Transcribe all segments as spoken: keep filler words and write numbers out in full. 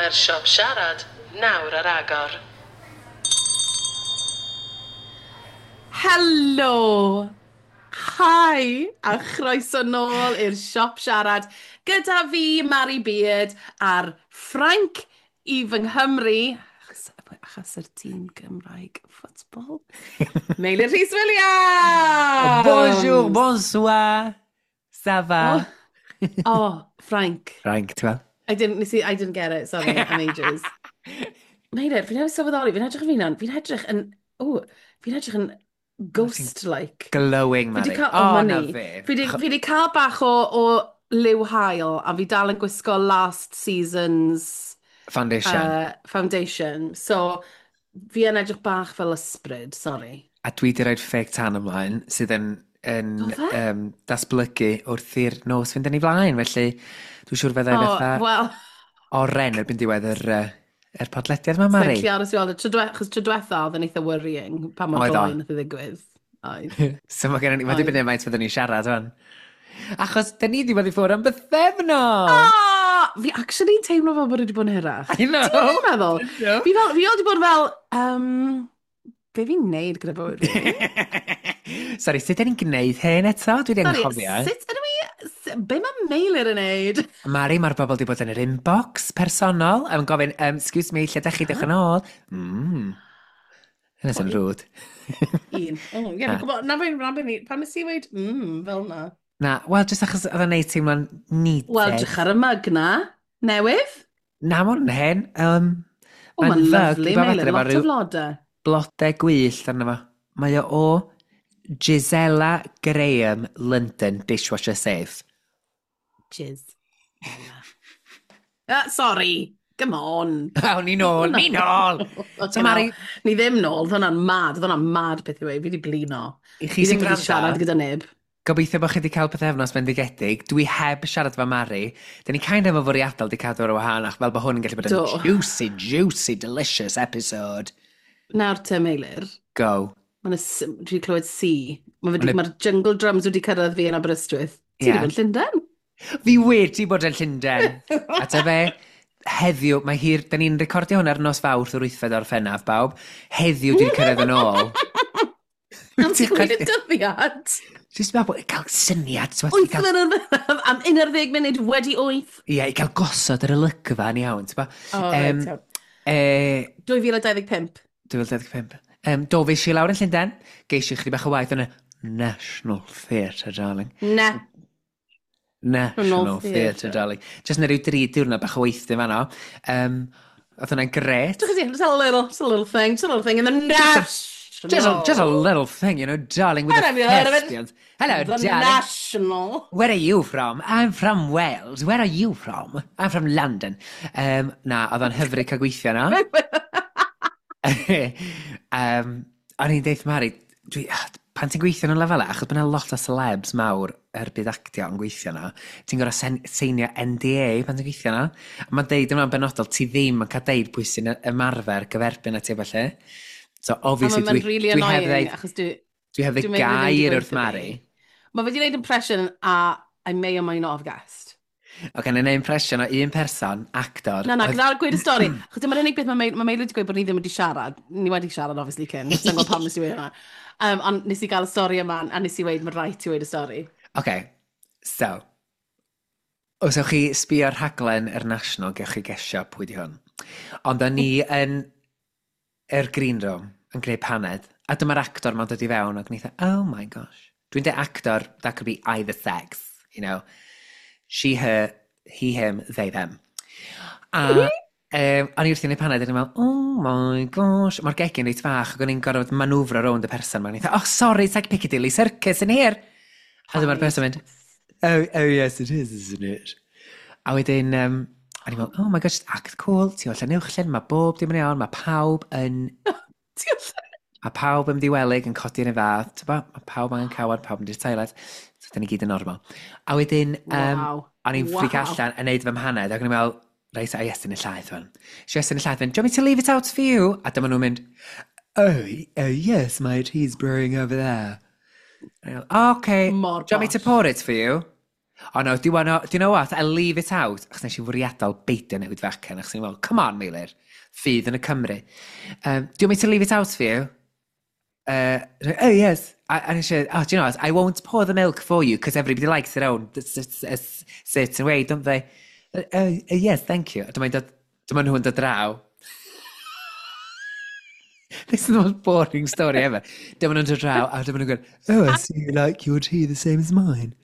Mae'r siop siarad nawr ar agor. Helo! Hi! A chroeso nôl i'r siop siarad gyda fi, Mari Beard, a'r Ffrainc i fy Nghymru, achos, achos yr tîm Gymraeg ffwtbol, Meilir Rhys Williams! Bonjour, bonsoir, ça va? Oh, oh Frank. Frank, ti'n fel? I didn't, nes i, I didn't get it, sorry, I'm ages. Meilir, fi'n newydd sylweddoli, fi'n edrych yn fi'n fi'n edrych yn, oh, fi'n edrych yn ghost-like. Glowing, Fi Mari. 'di cael, oh, oh, na money. fe. Fi 'di, fi 'di cael bach o, o liw haul, a fi dal yn gwisgo last season's Foundation. uh, foundation. So, fi yn edrych bach fel ysbryd, sorry. A dwi wedi rhoi fake tan ymlaen, sydd yn, yn Do fe? um, datblygu wrth i'r nos fynd yn ei flaen. Felly, dwi'n siŵr fyddai Oh, fatha wel, oren erbyn diwedd yr, uh, yr podlediad yma, Mari. Sa'n aros i weld. Tro dwe- Achos tro diwetha oedd yn eitha worrying pa mor Oedd o. gloi nath i ddigwydd. Oedd. So mae gen i, mae Oedd. dibynnu faint fyddwn ni'n siarad fan. Achos, dyn ni wedi bod i ffwrdd am bythefnos! Ah, fi actually teimlo fel bod wedi bod yn hirach. I know! Ti'n meddwl? meddwl? No. Fi fel, fi wedi bod fel, um, be fi'n neud gyda bywyd fi? Sorry, sut ydyn ni'n gwneud hyn eto? Dwi wedi Sorry, anghofio. sut ydw i, s- be mae Meilir yn neud? Mari, mae'r bobl wedi bod yn yr inbox personol yn gofyn, um, excuse me, lle dach chi, dewch yn ôl? Mm. Hynna sy'n rude. Un. Oh, ie, fi'n gwybod, na fe, na fe ni, pan nes i weud, mm, fel na. Na, wel, jyst achos oedd o'n neud teimlo'n needed. Wel, drych ar y mug na. Newydd. Na, ma' hwn yn hen. Um, O, mae'n fug i lovely, bob Meilir, adre, efo lot ryw o flodau. Blodau gwyllt arno fo. Mae o o Gisela Graham, London, dishwasher safe. Jizz. Uh, sorry, come on. Awn ni nôl, ni nôl! So Mari, Ni ddim nôl, oedd hwnna'n mad, oedd hwnna'n mad beth i weud, fi wedi blino. I Fi chi sy'n ddim wedi gwrando, siarad gyda neb. Gobeithio bod chi wedi cael pythefnos bendigedig. Dwi heb siarad efo Mari. Dyn ni kind of yn fwriadol wedi cadw ar wahân, ach fel bod hwn yn gallu bod yn Do. juicy, juicy, delicious episode. Nawr te, Meilir, Go. mae'n dwi wedi clywed C. Mae Ma' 'na- Mae'r jungle drums wedi cyrraedd fi yn Aberystwyth. Ti Ie. wedi bod yn Llundain? Fi wedi bod yn Llundain. A ta fe, heddiw, mae hir, da ni'n recordio hwn ar nos Fawrth yr wythfed o'r Orffennaf, bawb. Heddiw dwi'n cyrraedd yn ôl. Am ti'n gweud y dyddiad? Jyst meddwl bod cael syniad. Ti'n meddwl, i Wyth gael, yn yr am un ar ddeg munud wedi wyth. ie, i gael gosod yr olygfa yn iawn. Ti'n O, um, reit, iawn. e, dwy fil dau ddeg pump. dwy fil dau ddeg pump. Um, do, fe i lawr yn Llundain. Geis i chydig bach o waith yn y National Theatre, darling. Ne. National National Theatre, Theatre. darling. Just na ryw dri diwrnod bach o weithio fanno. Um, oedd hwnna'n gret. Just a little, just a little thing, just a little thing in the national. Just a, just a little thing, you know, darling, with the Have you heard of it? thespians. Hello, The darling. National. Where are you from? I'm from Wales. Where are you from? I'm from London. Um, na, oedd o'n hyfryd cael gweithio na. um, o'n i'n deud Mari, dwi, ah, pan ti'n gweithio yn y lefel, achos bod yna lot o celebs mawr er byd actio yn gweithio na, ti'n gorfod sen- seinio N D A pan ti'n gweithio na. A mae'n deud yma'n benodol, ti ddim yn cael deud pwy sy'n ymarfer gyferbyn a ti felly. So, obviously, Mae'n dwi, really dwi heb annoying, ddeud, achos dwi dwi heb dwi'n ddeud meddwl ddim 'di gair wrth gweud Mari. fi. Mae fe wedi gwneud impression a I may or may not have guessed. O, gan ei impression o un person, actor. Na, na, oedd- gyda'r gweud y stori. Achos dyma'r unig beth mae Meil- mae Meilir wedi gweud bod ni ddim wedi siarad. Ni wedi siarad, obviously, cyn. Sa'n gwybod pam nes i weud hwnna. Um, ond nes i gael y stori yma, a nes i weud, mae rhaid ti weud y stori. OK, so, os ewch chi sbio ar rhaglen yr National, gewch chi gesio pwy di hwn. Ond o'n ni yn yr green room yn gwneud paned, a dyma'r actor ma'n dod i fewn, ac o'n i oh my gosh. Dwi'n dweud actor, that could be either sex, you know. She, her, he, him, they, them. A um, o'n i wrthi'n gwneud paned, a o'n i'n meddwl, oh my gosh, mae'r gegin reit fach, ac o'n i'n gorfod manwfro rownd y person. Mae'n eitha, oh sorry, it's like Piccadilly Circus in here. A dyma'r person mynd, oh, oh yes, it is, isn't it?" A wedyn, um, o'n i'n meddwl, oh my gosh, act cool, ti o Llanuwchllyn, mae bob dim yn iawn, mae pawb yn, Ti o mae pawb yn ddiwelig yn codi yn y fath, ti'n bo? Mae pawb angen cawod, pawb yn i'r toilet, so dyn ni gyd yn normal. A wedyn, um, Wow. o'n i'n ffric Wow. allan yn neud fy mhaned, ac o'n i'n meddwl, reit, a Iestyn y llaeth fan. So Iestyn y llaeth fan, "Do you want me to leave it out for you?" A dyma nhw'n mynd, oh, oh yes, my tea's brewing over there." A o'n i'n meddwl, oh, okay, Mor do you want me to posh. pour it for you?" Oh no, do you, wanna, do you know what? I leave it out. Achos nes i fwriadol beidio newid fy acen. Achos ni'n meddwl, come on, Meilir. Ffydd yn y Cymru. Um, do you want me to leave it out for you? Uh, oh, yes. I, and she said, oh, do you know what? I won't pour the milk for you because everybody likes their own a certain way, don't they? Uh, uh, yes, thank you. Dyma dod, dyma nhw'n dod draw. This is the most boring story ever. Dyma nhw'n dod draw, a dyma nhw'n gwneud, oh, I see you like your tea the same as mine.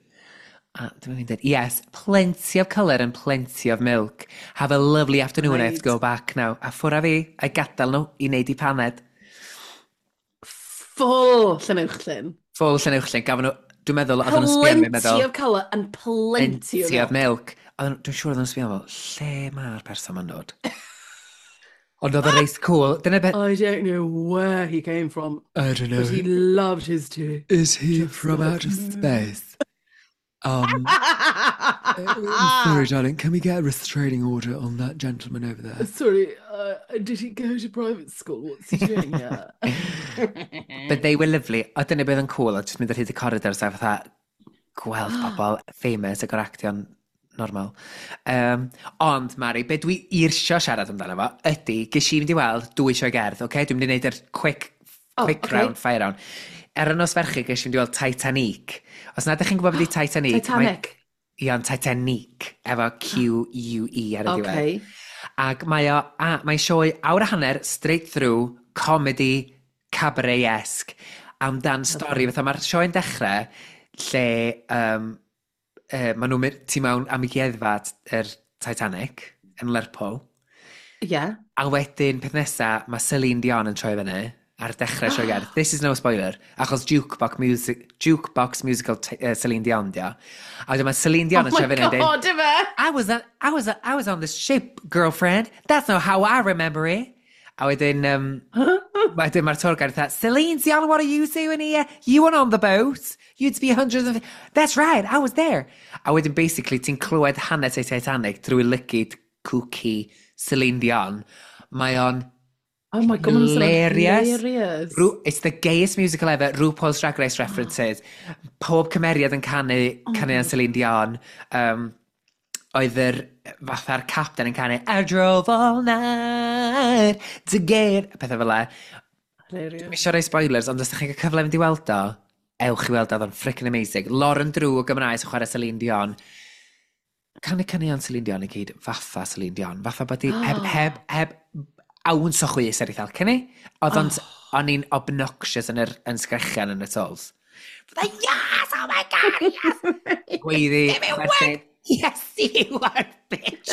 A dyma fi'n dweud, yes, plenty of colour and plenty of milk. Have a lovely afternoon, right. I have to go back now. A ffwrdd â fi, a gadael nhw i wneud i paned. Full Llanuwchllyn. Full Llanuwchllyn. Gafon nhw, dwi'n meddwl, oedden nhw'n sbio arno meddwl... Plenty of colour and plenty, plenty of milk. Oedden nhw- Dwi'n siŵr oedden nhw'n sbio fel, lle mae'r person ma'n dod? Ond oedd y reit cool. Dyna beth... I don't know where he came from, I don't know. but he loved his tea. Is he from outer space? Um, sorry, darling, can we get a restraining order on that gentleman over there? Sorry, uh, did he go to private school? What's he doing here? But they were lovely. O, dyna beth yn cool, o just mynd ar hyd y corridors a fatha gweld pobl famous ac o'r actio'n normal. Um, ond, Mari, be dwi eisiau siarad amdano fo ydy, ges i fynd i weld dwy sioe gerdd, okay? Dwi'n mynd i wneud yr quick, Oh, quick okay. round, fire round. Ar y nos Fercher, ges i fynd i weld Titanic. Os na ydych chi'n gwybod beth ydi Titanic? Titanic. Mae, Iawn, Titanic, efo Q-U-E ar y diwedd. Okay. Ac mae o, a, mae'n sioe awr a hanner, straight through, comedy, cabaret-esque, amdan stori. Fatha mae'r sioe'n dechrau lle um, uh, maen nhw'n mynd tu mewn amgueddfa yr Titanic yn Lerpwl. Yeah. A wedyn, peth nesa, mae Celine Dion yn troi fyny ar dechrau sioe gerdd. This is no spoiler, achos jukebox, music, jukebox musical uh, Celine Dion, dio. A wedyn mae Celine Dion Oh yn troi my fyny yn dweud, god, ife? I was on, I was, I was on the ship, girlfriend. That's not how I remember it. A wedyn, um, wedyn mae'r tour guide fatha, Celine Dion, what are you doing here? You weren't on the boat. You'd be hundreds of... That's right, I was there. A wedyn, basically, ti'n clywed hanes ei Titanic drwy lygid kooky Celine Dion. Mae o'n Oh my god, mae'n swnio'n hilarious. hilarious. Ru it's the gayest musical ever. RuPaul's Drag Race references. Pob cymeriad yn canu, oh canu yn Celine Dion. Um, oedd yr fatha'r captain yn canu I drove all night to get... Pethau fel 'na. Hilarious. Dwi'n eisiau rhoi spoilers, ond os ydych chi'n cael cyfle fynd i weld o, ewch i weld o, oedd o'n freaking amazing. Lauren Drew o Gymraeg sy'n chwarae Celine Dion. Canu caneuon Celine Dion i gyd, fatha Celine Dion. Fatha bod hi heb, heb, heb awns o chwys ar ei thalcen hi. Oedd o'n, o'n i'n obnoxious yn, yr, yn sgrechian yn y stalls. Fatha, yes, oh my god, yes! Gweiddi, chwerthin. Yes, you are, bitch!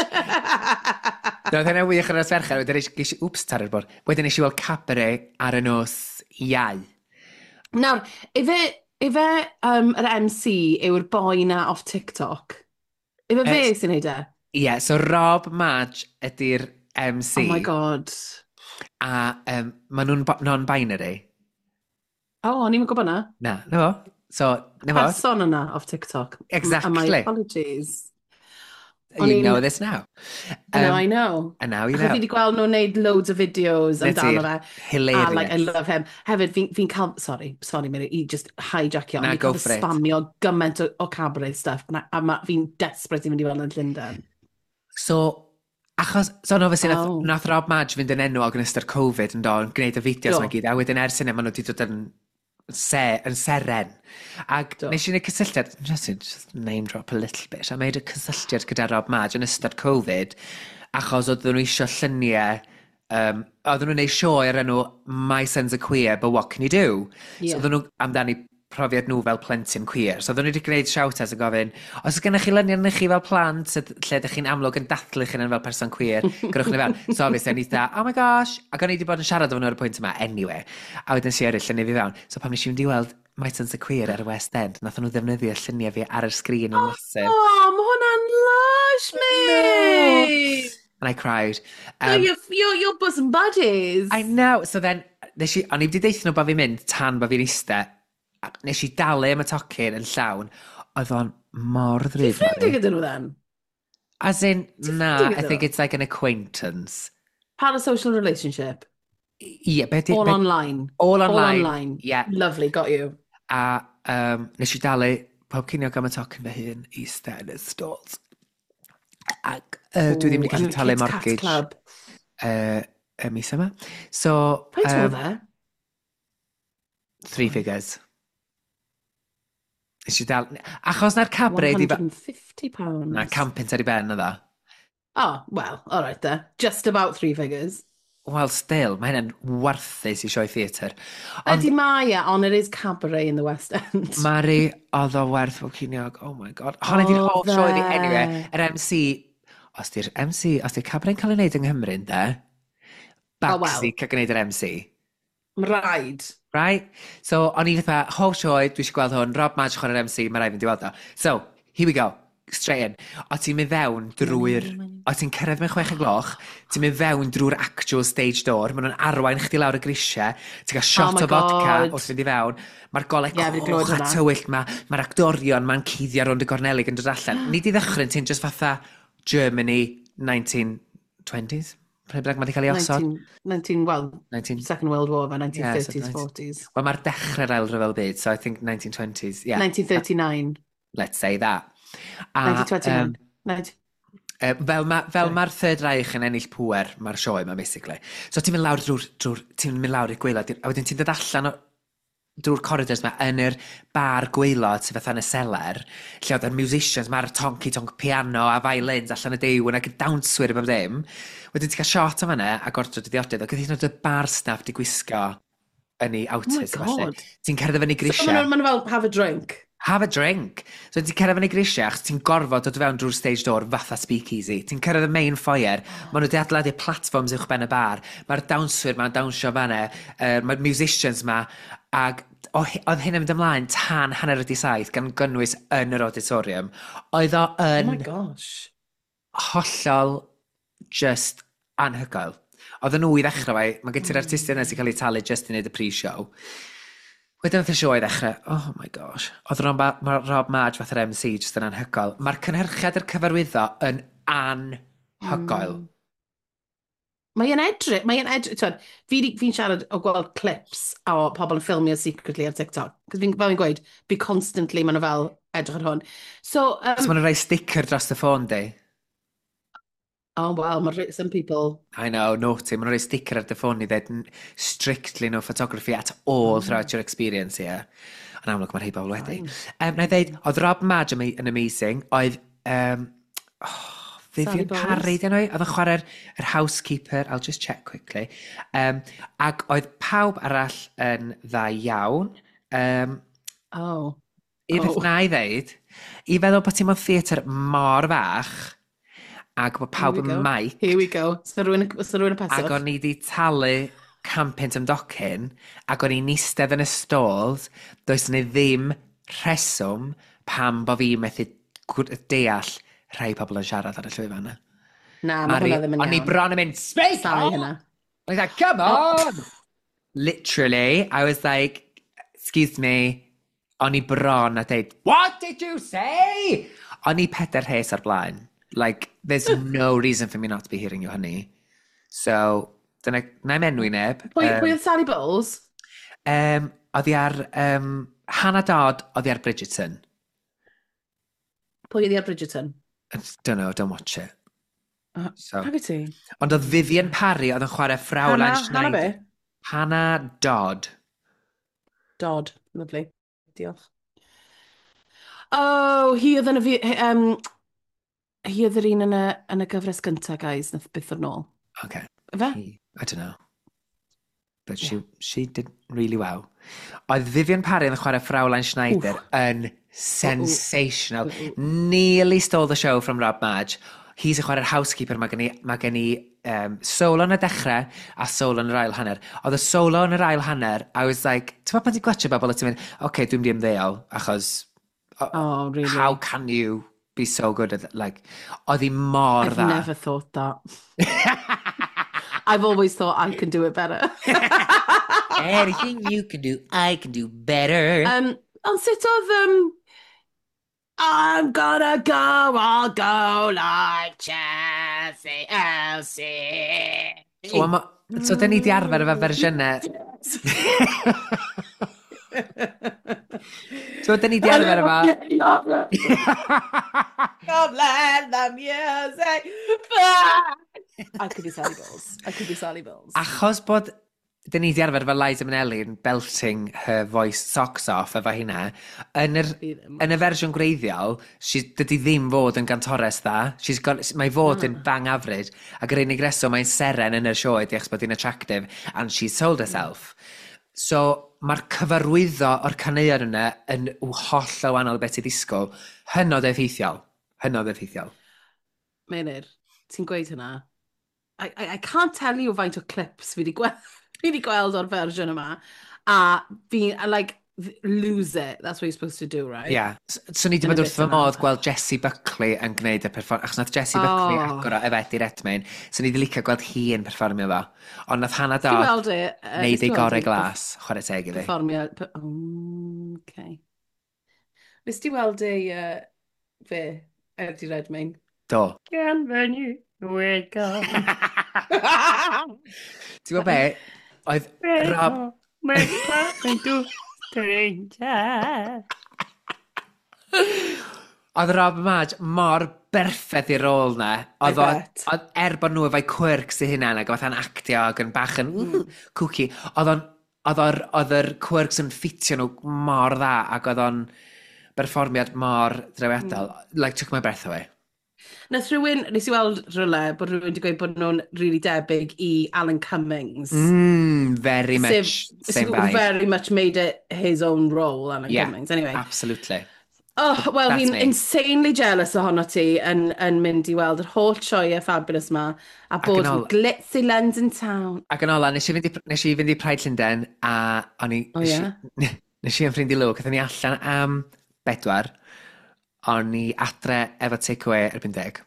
Roedd hynny'n wych ar y nos Fercher, wedyn nes ges i, wps, taro'r bwrdd. Wedyn nes i weld Cabaret ar y nos Iau. Nawr, ife, ife um, yr M C yw'r boi na off TikTok? Ife fe Eh, sy'n neud e? Ie, yeah, so Rob Madge ydy'r M C. Oh my god. A um, maen nhw'n bo- non-binary. Oh, o'n i'n gwybod na. Na, na fo. So, na fo. Person yna off TikTok. Exactly. And my apologies. O'n You i'n- know this now. Um, Um, I know. And now you Achos know. fi wedi gweld nhw'n neud loads o videos Na ti. amdano fe. Hilarious. A like, I love him. Hefyd, fi'n fi cael, sorry, sorry, Mary, i just hijackio. Na, ond fi'n go cael for it. spamio gymaint o, o cabaret stuff. Na, a ma, fi'n desperate i fynd i weld yn Llundain. So, achos, so no, obviously, nath, Oh. nath Rob Madge fynd yn enwog yn ystod Covid yn do, yn gwneud y fideos Do. yma gyd, a wedyn ers hynny, maen nhw wedi dod yn, se, yn seren. Ac Do. nes i wneud cysylltiad, just, to just name drop a little bit, I made a cysylltiad gyda Rob Madge yn ystod Covid, achos oedden nhw eisiau lluniau, um, oedden nhw'n gwneud sioe ar enw My Son's a Queer, but what can you do? Yeah. So oedden nhw amdani profiad nhw fel plentyn queer. So oedden nhw wedi gwneud shout-out yn gofyn, os oes gennych chi luniau arnych chi fel plant, yd- lle ydych chi'n amlwg yn dathlu chi fel person queer, gyrwch ni fewn. So obviously, o'n i dda, oh my gosh, ac o'n i wedi bod yn siarad efo nhw ar y pwynt yma, anyway. A wedyn si eraill lluniau fi fewn. So pan nes i fynd i weld My Son's a Queer ar y West End, nath nhw ddefnyddio lluniau fi ar y sgrin yn massive. Oh, mae hwnna'n lush, mate! And I cried. Um, Um, you're, you're, you're bosom buddies. I know. So then, nes i, o'n i wedi deutha nhw bod fi'n mynd tan bod fi'n eistedd. A nes i dalu am y tocyn yn llawn. Oedd o'n mor ddrud. Ffrindiau Mari. gyda nhw then? As in, na, ffrindiau I gyda think nhw? it's like an acquaintance. Parasocial relationship. Ie, be di... All be- online. All All online. online. Yeah. Lovely, got you. A um, nes i dalu pob ceiniog am y tocyn fy hun i stand y stalls. Ac uh, dwi ddim wedi gallu talu mortgage Club. Uh, y mis yma. So, Faint um, oedd e? Three figures. Nes i dal... Achos na'r cabaret... one hundred and fifty pounds. Na, can punt ar ei ben oedd o. Oh, well, all right there. Just about three figures. Well, still, mae hynny'n warthus i sioe theatr. Ond ydy mae e, ond it is cabaret in the West End. Mari, oedd o werth bob ceiniog. Oh my God. Honna di'r hoff sioe fi. Anyway, yr M C... Os di'r M C, os di'r cabaret'n cael ei wneud yng Nghymru, ynde? Oh, well. Baxi cael gwneud yr M C. Rhaid. Right? So, o'n i fatha, hoff sioe, dwi eisiau gweld hwn, Rob Madge chwarae'r M C, mae rhaid fynd i weld o. So, here we go. Straight in. O ti'n mynd fewn drwy'r... O ti'n cyrraedd mewn chwech y gloch, ti'n mynd fewn drwy'r actual stage door, maen nhw'n arwain chdi lawr y grisiau, ti'n cael shot Oh my o vodka God. wrth fynd i fewn, mae'r golau Ie, fi 'di coch glywed a hwnna. tywyll ma, mae'r actorion ma'n cuddio rownd y gornelig yn dod allan. Nid i ddychryn, ti'n just fatha Germany nineteen twenties? Pryd bynnag mae 'di cael ei osod? Nineteen, nineteen, well, nineteen Second World War, fe, nineteen Yeah, so thirties, nineteen forties. Wel, mae'r dechrau'r ail ryfel byd, so I think nineteen twenties, yeah. nineteen thirty-nine. Let's say that. A, nineteen twenty-nine. um, Nineteen Uh, fel ma, fel Sorry. mae'r Third Reich yn ennill pŵer, mae'r sioe yma, basically. So ti'n mynd lawr drwy'r, drwy'r, ti'n mynd lawr i'r gwaelod, a wedyn ti'n dod allan o, drwy'r corridors yma yn yr bar gwaelod sydd fatha yn y seler, lle oedd yr musicians, mae'r tonky tonk piano a violins allan y dew, ac y dawnswyr a bob dim. Wedyn ti'n cael shot o fan'na ac ordro dy ddiodydd, ac oedd hyd yn oed y bar staff di gwisgo yn ei Oh my outfits a ballu. God. Ti'n cerdded fyny So grisiau. maen nhw ma' nhw fel, have a drink. Have a drink. So ti'n cyrraedd fyny grisiau, achos ti'n gorfod dod fewn drwy'r stage door fatha speakeasy. Ti'n cyrraedd y main foyer, maen nhw wedi adeiladu platforms uwch ben y bar, mae'r dawnswyr ma'n dawnsio fan'na, uh, mae'r musicians ma, ag o- oedd hyn yn mynd ymlaen tan hanner wedi saith, gan gynnwys yn yr auditorium. Oedd o yn Oh my gosh. hollol just anhygoel. Oedden nhw i ddechrau fe, mae gen ti'r artistiaid yna sy'n cael eu talu just i wneud y pre-show. Wedyn oedd y sioe i ddechrau, oh my gosh. Oedd Rob, ma Rob Madge fatha'r M C just yn anhygoel. Mae'r cynhyrchiad yr cyfarwyddo yn anhygoel. Mm. Mae'n edrych, mae'n edrych, twyd, fi di, fi'n siarad o gweld clips o pobl yn ffilmio secretly ar TikTok. Cos fi'n, fel fi'n gweud, fi constantly, maen nhw fel edrych ar hwn. So, um, So maen nhw'n rhoi sticker dros y ffôn, di. Oh, well, mae some people... I know, naughty. Maen nhw'n rhoi sticker ar dy ffôn i ddweud strictly no photography at all throughout your experience here. Yn amlwg, mae rhai bobl wedi. Um, na i ddeud, oedd Rob Madge yn yn amazing. Oedd... Um, oh, Vivian Sally Bowles. Parry, dyn nhw? Oedd yn chwarae'r yr housekeeper. I'll just check quickly. Um, ac oedd pawb arall yn dda iawn. Um, Oh. Un peth Oh. na i ddeud, i feddwl bod ti mewn theatr mor fach, ac bod pawb Here we yn go. mic, Here we go. So rhywun, so rhywun y ac peswch. o'n i di talu can punt am docyn, ac o'n i'n eistedd yn y stalls, does ni ddim rheswm pam bo fi methu gwr- deall rhai pobl yn siarad ar y llwyfan yna. Na, mae hwnna ddim yn O'n i iawn. bron yn mynd, speak Sorry on! hynna. I was like, come on! Literally, I was like, excuse me, o'n i bron a deud, what did you say? O'n i pedair rhes ar blaen. Like, there's no reason for me not to be hearing you, honey. So, dyna, na i'm enwi neb. Pwy, Um, pwy oedd Sally Bowles? Um, oedd hi ar, um, Hannah Dodd, oedd hi ar Bridgerton. Pwy oedd hi ar Bridgerton? I don't know, don't watch it. Uh, So. Nag wyt ti? Ond oedd Vivian Parry oedd yn chwarae Fraulein Hannah, Hannah Schneider. be? Hannah Dodd. Dodd. Lovely. Diolch. Oh, hi oedd yn y... fi- Um, hi oedd yr un yn y, yn y gyfres gyntaf, guys, nath byth o'r nôl. Okay. Fe? He, I don't know. But she, she did really well. Oedd Vivian Parry yn chwarae Fraulein Schneider Oof. yn sensational. Ooh, ooh. Nearly stole the show from Rob Madge. Hi sy'n chwarae'r housekeeper, mae gen i, mae gen i um, solo yn y dechrau a solo yn yr ail hanner. Oedd y solo yn yr ail hanner, I was like, ti'n meddwl pan ti'n gwatchio bobl a ti'n mynd, oce, okay, dwi'n mynd i ymddeol, achos Oh, really? how can you be so good at, like, oedd hi mor I've dda. never thought that. I've always thought I can do it better. Anything you can do, I can do better. Um, ond sut oedd... Um, I'm gonna go, I'll go like Chelsea, Elsie. Wel, ma- so, dyn ni di arfer efo fersiynau. So, dyn ni di arfer efo... Come let the music play. I could be Sally Bowles. I could be Sally Bowles. Achos bod dyn ni di arfer efo Liza Minnelli yn belting her voice socks off efo hynna, yn yr, Fi ddim. yn y fersiwn gwreiddiol, she, dydy ddim fod yn gantores dda. She's got, mae fod yn bang average, ac yr unig reswm mae'n seren yn y sioe di achos bod hi'n attractive, and she's sold herself. So, mae'r cyfarwyddo o'r caneuon yna yn holl o wahanol beth i ddisgwyl. Hynod effeithiol. Hynod effeithiol. Meinir, ti'n gweud hynna. I, I, I can't tell you faint o clips fi wedi gweld, fi wedi gweld o'r fersiwn yma. A fi, I like, lose it. That's what you're supposed to do, right? Ie. Yeah. So ni wedi Yn y bod wrth bit fy yna. modd gweld Jessie Buckley yn gwneud y perfform... Achos nath Jessie Buckley Oh. agor o efo Eddie Redmayne. So ni wedi licio gweld hi yn perfformio fo. Ond nath Hannah Ti Dodd weld e? Uh, wneud ei gorau glas, chwarae teg iddi. Perfformio... pe- Oh, okay. Nes ti weld ei uh, fe, Eddie Redmayne? Do. Bienvenue, welcome. Ti'n gwybod be? Oedd Rob... Welcome to stranger. Oedd Rob Marge mor berffaith i'r rôl na. Oedd o, bet. oedd, er bod nhw efo'i quirks eu hunain ac fatha'n actio ac yn bach yn mm. kooky, oedd o'n oedd o'r, oedd yr quirks yn ffitio nhw mor dda ac oedd o'n berfformiad mor drawiadol. Mm. Like, took my breath away. Nath rhywun, nes i weld rhywle, bod rhywun wedi gweud bod nhw'n really debyg i Alan Cummings. Mm, very much Sef- same vibe. Very much made it his own role, Alan Yeah, Cummings. Anyway. Absolutely. Oh, wel, That's fi'n me. insanely jealous ohono ti yn, yn mynd i weld yr holl sioeau fabulous ma a bod yn yn ôl- glitzy London town. Ac yn ola, nes i fynd i, nes i fynd i Pride Llundain a o'n i... O, nes ie? i- Nes i yn ffrind i Luke, aethon ni allan am bedwar, o'n i adre efo takeaway erbyn deg.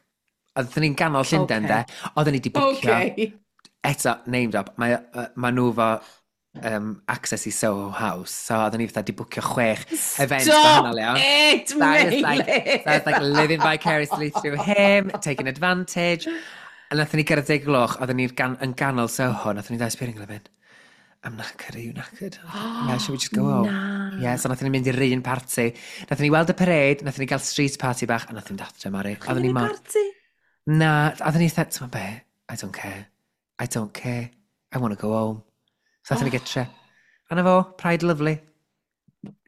Oedden ni'n ganol Llundain, Ocê. de. Oedden ni di bwcio. Okay. Eto, name drop, mae, uh, ma nhw fo um, access i Soho House, so oedden ni fatha di bwcio chwech event Stop gwahanol iawn. it, So I was like, Meilir! so I was like living vicariously through him, taking advantage. A nathon ni gyrraedd deg gloch, oedden ni'n gan, yn ganol Soho, nathon ni ddau sbio ar mynd, "I'm knackered, are you knackered?" "Yeah, should we just go home?" Na. Yeah, so nathon ni mynd i'r un party. Nathon ni weld y parade, nathon ni gael street party bach, a nathon ni mynd adre, Mari. Oedden ni mor... party? Na, oedden ni fatha, ti'n be? I don't care. I don't care. I want to go home. So nathon ni gytre. A na fo, Pride lovely.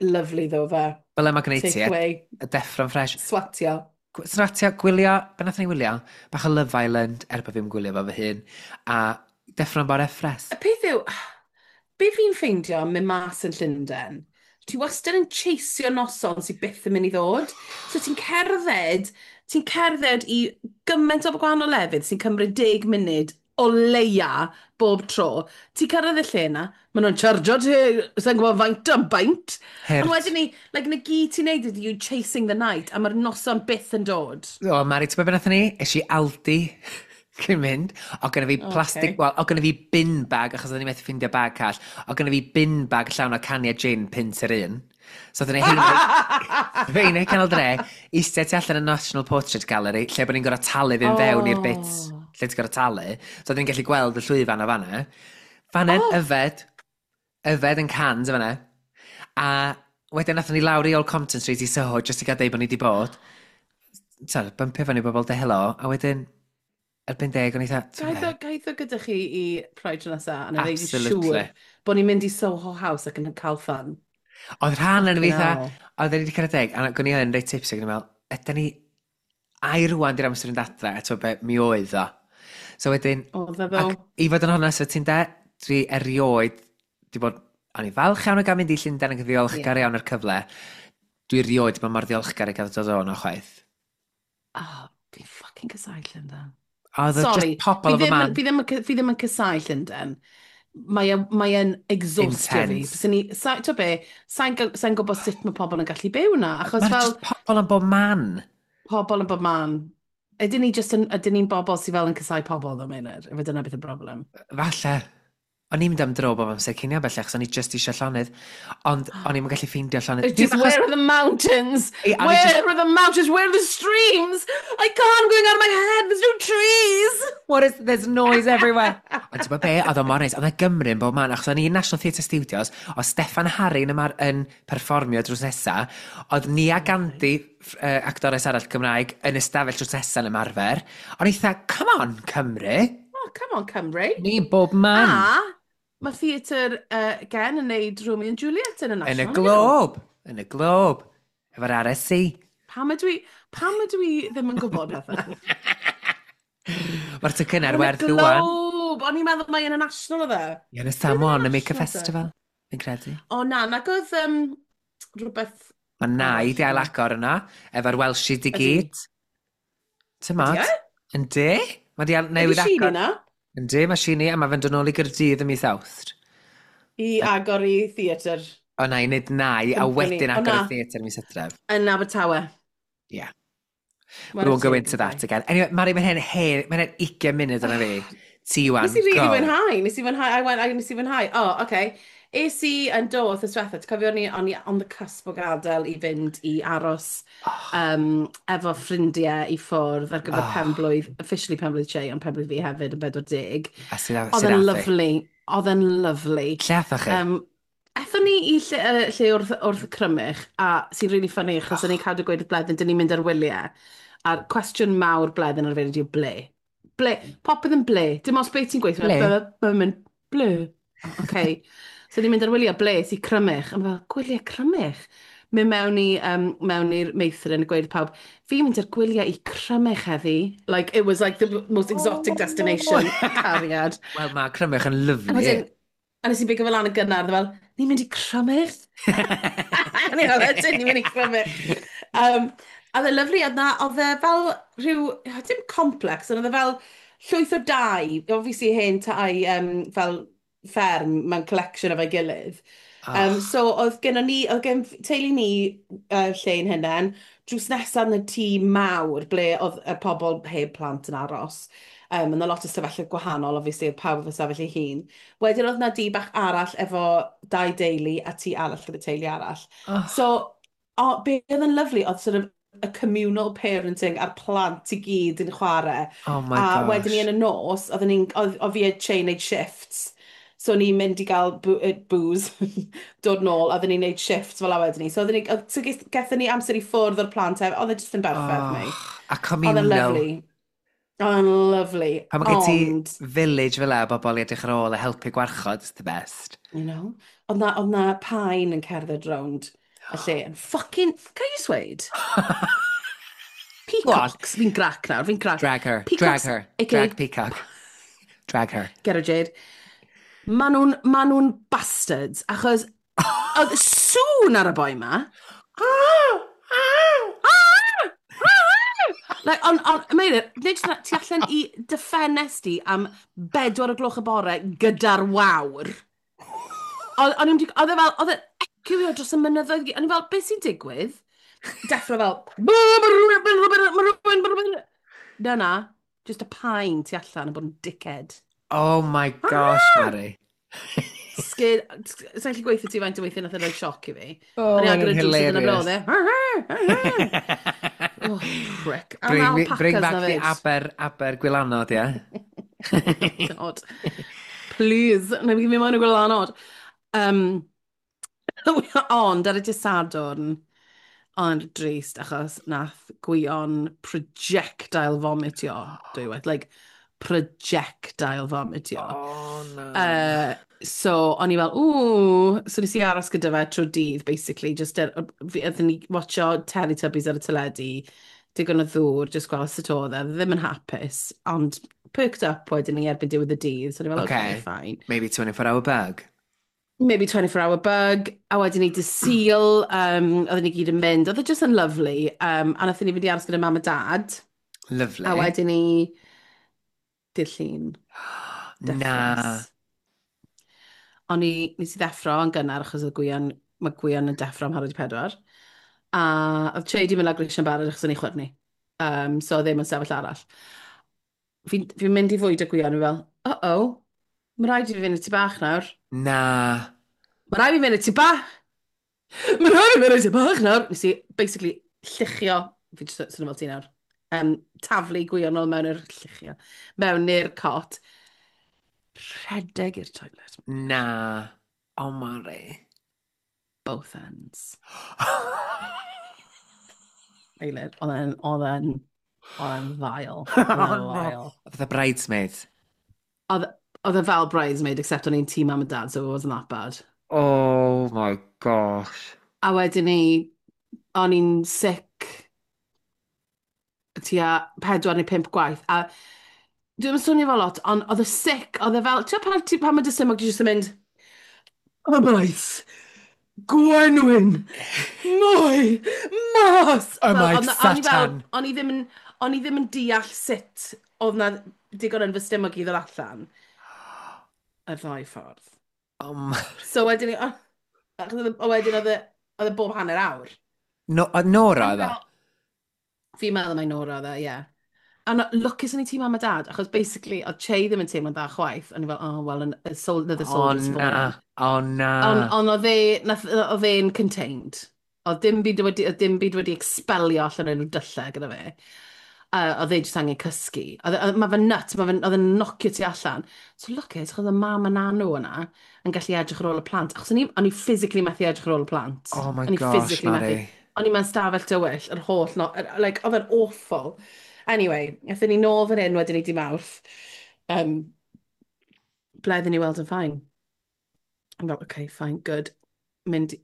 Lovely though, fe. Fel yma gwneud ti, Take away, y deffro'n ffres. Swatio. Swatio, gwylio, be nathon ni wylio? Bach o Love Island, er bod fi'n gwylio fo fy hun. A deffro'n bore ffres. Y peth yw, be fi'n ffeindio am mynd mas yn Llundain, ti wastad yn chaseio noson sydd byth yn mynd i ddod. So ti'n cerdded, ti'n cerdded i gymaint o gwahanol lefydd sy'n cymryd deg munud o leia bob tro. Ti'n cyrraedd y lle yna, maen nhw'n chargio ti, sa'n gwybod faint am beint. Hurt. Ond wedyn ni, like, na gyd ti'n neud ydy you chasing the night, a mae'r noson byth yn dod. O, Mari, ti'n gwybod beth nathon ni? Es i Aldi cyn mynd. O gynna fi plastic, Ocê. wel, o gynna fi bin bag, achos oedden ni methu ffindio bag call. O gynna fi bin bag llawn o cania gin punt yr un. So oedden ni hein, hein canol dre, eistedd tu allan y National Portrait Gallery, lle bod ni'n gorfod talu fynd fewn i'r bit Oh. lle ti'n gorfod talu. So oedden ni'n gallu gweld y llwyfan o fanna. Fanna'n Oh. yfed, yfed yn cans o fanna. A wedyn nathon ni lawr i Old Compton Street i Soho, just i gael deud bod ni wedi bod. So, bympio fyny bobl de helo, a wedyn, erbyn deg, o'n i dda, Gaeth o, gaeth o gyda chi i Pride tro nesa, a na ddeud i Absolutely. siŵr bod ni'n mynd i Soho House ac yn cael fun. Oedd rhan yn fi Fucking dda, hell. oedd ni wedi cyrraedd deg, a gwni yn reit tipsy, ac o'n i'n meddwl, ydyn ni, ai rwan di'r amser yn adre, a ti'n be, mi oedd o. So wedyn, Oedd e ddo. ac i fod yn honest, ti'n de, dwi erioed, di bod, o'n i falch iawn o gael mynd i Llundain ac yn ddiolchgar Ie. iawn o'r cyfle. Dwi erioed bod mor ddiolchgar i gael dod o'n o chwaith. Oh, fi'n fucking casáu Llundain. Oedd o Sorry, just pobl fi o fy ddim, man. yn- fi ddim, yn- fi ddim yn casáu Llundain. Mae e- mae e'n exhaustio fi. Intense. Fyswn i, sa, ti'n be, sa'n sa sa'n gwybod sut mae pobl yn gallu byw na, achos Mae'n fel just pobl yn bob man. Pobl yn bob man. Ydyn ni just yn, ydyn ni'n bobl sydd fel yn casáu pobl ddo, Meinir? Efo dyna beth y broblem. Falle. O'n i'n mynd am dro bob amser cinio bellach, so o'n i just eisiau llonydd. Ond o'n i'n gallu ffeindio llonydd. It's just, where are the mountains? Ei, o'n i Where just- are the mountains? Where are the streams? I can't, I'm going out of my head. There's no trees. What is, there's noise everywhere. Ond ti'n gwybod be, oedd o mor neis, oedd e Gymru yn bob man, achos o'n i'n National Theatre Studios, oedd Steffan Harry yn, ymar, yn perfformio drws nesa, oedd Nia Gandhi, uh, actores arall Gymraeg, yn ystafell drws nesa yn ymarfer. O'n eitha, come on, Cymru. Oh, come on, Cymru. Ni bob man. A mae theatr uh, gen yn neud Romeo and Juliet yn y Yn y National. Globe. Yn y Globe. Efo'r R S C. Pam ydw i, pam ydw i ddim yn gwybod pethau? Mae'r tocynnau ar Yn y werth rwan. Globe! O'n i'n meddwl mai yn y National oedd e. Ie, yn y Sam One, y Make a National, Festival. Fi'n credu. O na, nag oedd um, rhywbeth. Mae nai di ail agor yna, efo'r Welshies i Ydi. gyd. Tymod? Ydi e? Yndi? Mae di al- Ydy newydd Sheenie agor. na? Yndi, mae Sheenie, a mae fe'n dod nôl i Gaerdydd ym mis Awst. I agor i theatr O na, i wneud nai, a Company. wedyn O, agor na. y theatr mis Hydref. Yn Abertawe. Yeah. We won't go into that again. Anyway, Mari, mae'n hen, hen, mae'n hen ugain munud yna fi. Ti wan, Nes i really go. fwynhau, nes i fwynhau, I went, I, nes i fwynhau. Oh, okay. Es i yn do, wythnos diwetha, ti'n cofio o'n i, o'n i on the cusp o gadael i fynd i aros Oh. um, efo ffrindiau i ffwrdd ar gyfer Oh. penblwydd, officially penblwydd Che, ond penblwydd fi hefyd yn bedwar deg. A sydd Oedd sydd e'n ath i? lovely, oedd e'n lovely. Lle athoch chi? Um, Ethon ni i lle, uh, lle wrth, wrth y Crymych, a sy'n really funny, achos o'n i'n cadw gweud wrth Bleddyn, dyn ni'n mynd ar wyliau. A'r cwestiwn mawr Bleddyn ar yw ble. Ble, popeth yn ble. Dim os beth ti'n gweithio. Ble? Mae'n mynd, ble. Okay. So ni'n mynd ar wyliau ble, sy'n Crymych. A ma' fel, gwyliau Crymych. Mynd mewn i, um, mewn i'r meithrin a gweud pawb, fi'n mynd ar gwyliau i Crymych heddi. Like, it was like the most exotic destination. Cariad. Wel, mae Crymych yn A lovely. wedyn, a nes i bigo fel lan yn gynnar, fel, ni'n mynd i Crymych? A ni fel, ydyn, ni'n mynd i Crymych. Um, a oedd e lovely, oedd na, oedd e fel rhyw, dim complex, ond oedd e fel llwyth o dai, obviously hen tai um, fel fferm mewn collection efo'i gilydd. Um, so oedd gennon ni, oedd gen teulu ni uh, lle ein hunain, drws nesaf yn y tŷ mawr ble oedd y pobl heb plant yn aros. Um, yna lot o stafelloedd gwahanol, obviously, oedd pawb efo stafell ei hun. Wedyn oedd na dŷ bach arall efo dau deulu a tŷ arall gyda teulu arall. Oh. So, o, be oedd yn lovely, oedd sort of y communal parenting a'r plant i gyd yn chwarae. Oh my A gosh. wedyn ni yn y nos, oedden ni'n, oedd oedd fi a Che wneud shifts. So o'n i'n mynd i gael boo, uh, booze, dod nôl, a oedden ni'n neud shifts fel a wedyn ni. So oedden ni, oedd- so ges- gethon ni amser i ffwrdd o'r plant hefyd, oedd e jyst yn berffaith, Oh, mate. a Oedd e'n communal. lovely. Oedd e'n lovely. Pan mae gen ti Ond, village fel 'a, bobl i edrych ar ôl a helpu gwarchod, it's the best. you know, oedd na, oedd na pain yn cerdded rownd y lle. Yn fucking, can I just weud? Peacocks, fi'n grac nawr, fi'n grac. Drag her, drag Peacocks, her, A K A drag peacock. Drag her. Get her, Jade. Ma nhw'n ma nhw'n bastards, achos oedd sŵn ar y boi ma. Like, on, on, Meilir, nid jyst na, ti allan i dy ffenest di am bedwar o gloch y bore gyda'r wawr. Oedd o'n i'n oedd e fel, oedd e'n ecwio dros y mynyddoedd. O'n i fel, beth sy'n digwydd? Deffro fel, na na, just a pain tu allan yn bod yn dickhead. Oh my gosh, Mari. Scared, sa'n gallu gweithio ti faint o weithio nath e roi sioc i fi. Oh, O'n i mae'n agor y drws iddyn nhw hilarious. ble oedd e. Oh, prick. A Bring, ma' me, bring alpacas back na the fyd. Aber, Aber gwylanod, ie? God. Please, na fi moyn y gwylanod. Um, ond ar y dydd Sadwrn, ond drist achos nath Gwion projectile vomitio, dwywaith, like projectile vomitio. Oh, no. Uh, so, o'n i fel, ww, so nes i aros gyda fe trwy dydd, basically, just er, fi- oedden ni watcho Teletubbies ar y teledu, digon o ddŵr, just gweld sut oedd e, ddim yn hapus, ond perked up wedyn ni erbyn diwedd y dydd, so o'n i fel, okay, Okay. fine. Maybe twenty-four hour bug. Maybe twenty-four hour bug, a wedyn ni dydd Sul, um, oedden ni gyd yn mynd, oedd e just yn lovely, um, a nathon ni fynd i aros gyda mam a dad, Lovely. a wedyn ni dydd Llun. Na. Deffres. O'n i, nes i ddeffro yn gynnar achos oedd Gwion, mae Gwion yn deffro am hanner wedi pedwar. A oedd Che di mynd lawr grisiau'n barod achos o'n i chwyrnu. Um, so oedd ddim yn sefyll arall. Fi'n fi mynd i fwyd y Gwion, fi fel, uh-oh, Mae rhaid i fi fynd i tŷ bach nawr. Na. Mae rhaid i fi fynd i tŷ bach. Mae rhaid i fi fynd i tŷ bach nawr. Nes i basically lluchio, fi jyst swnio fel ti nawr, um, taflu Gwion nôl mewn i'r lluchio, mewn i'r cot. Rhedeg i'r toilet. Na. Oh, Mari. Both ends. Eilir, oedd e'n, oedd e'n, oedd e'n vile. Oedd e'n Oh, no. vile. Oedd y bridesmaid. Oedd oedd e fel bridesmaid, except o'n i'n tŷ mam a dad, so it wasn't that bad. Oh my gosh. A wedyn ni, o'n i'n sick tua pedwar neu pump gwaith. A dwi'n swnio fel lot, ond oedd y sick, oedd e fel, ti'n pan, ti- pan mae dy stumog ti jyst yn mynd, ymaith, gwenwyn, mwy, mas. Fel, Ymaith, oedd na- o'n i fel- Satan. O'n i ddim yn, o'n i ddim yn deall sut oedd na digon yn fy stumog i ddod allan. Y ddau ffordd. Oh, Mari. So wedyn ni, o- achos oedd e- wedyn oedd e, oedd e bob hanner awr. No, oedd Nora oedd o? Fi'n meddwl mai Nora oedd e, ie. A no, lwcus o'n i tŷ mam a dad, achos basically, oedd Che ddim yn teimlo'n dda chwaith. O'n i fel, oh, well, an, a sol, another O soldier's na. fallen. O na. Ond on oedd e, nath, oedd e'n contained. Oedd dim byd wedi, oedd dim byd wedi expelio allan o'n dyllau gyda fe. Uh, oedd e jyst angen cysgu. Oedd, oedd, mae fe'n nuts, mae fe'n, oedd e'n nocio ti allan. So lwcus, achos oedd mam a nanw yna yn gallu edrych ar ôl y plant. Achos o'n i, o'n i physically methu edrych ar ôl y plant. Oh my O'n i gosh, physically Mari. methu. O'n i mewn stafell tywyll, yr holl, no, like, oedd e'n awful. Anyway, aethon ni nôl fan hyn wedyn i di Mawrth. Um, Bleddyn i weld yn fine. I'm fel, okay, fine, good. Mynd,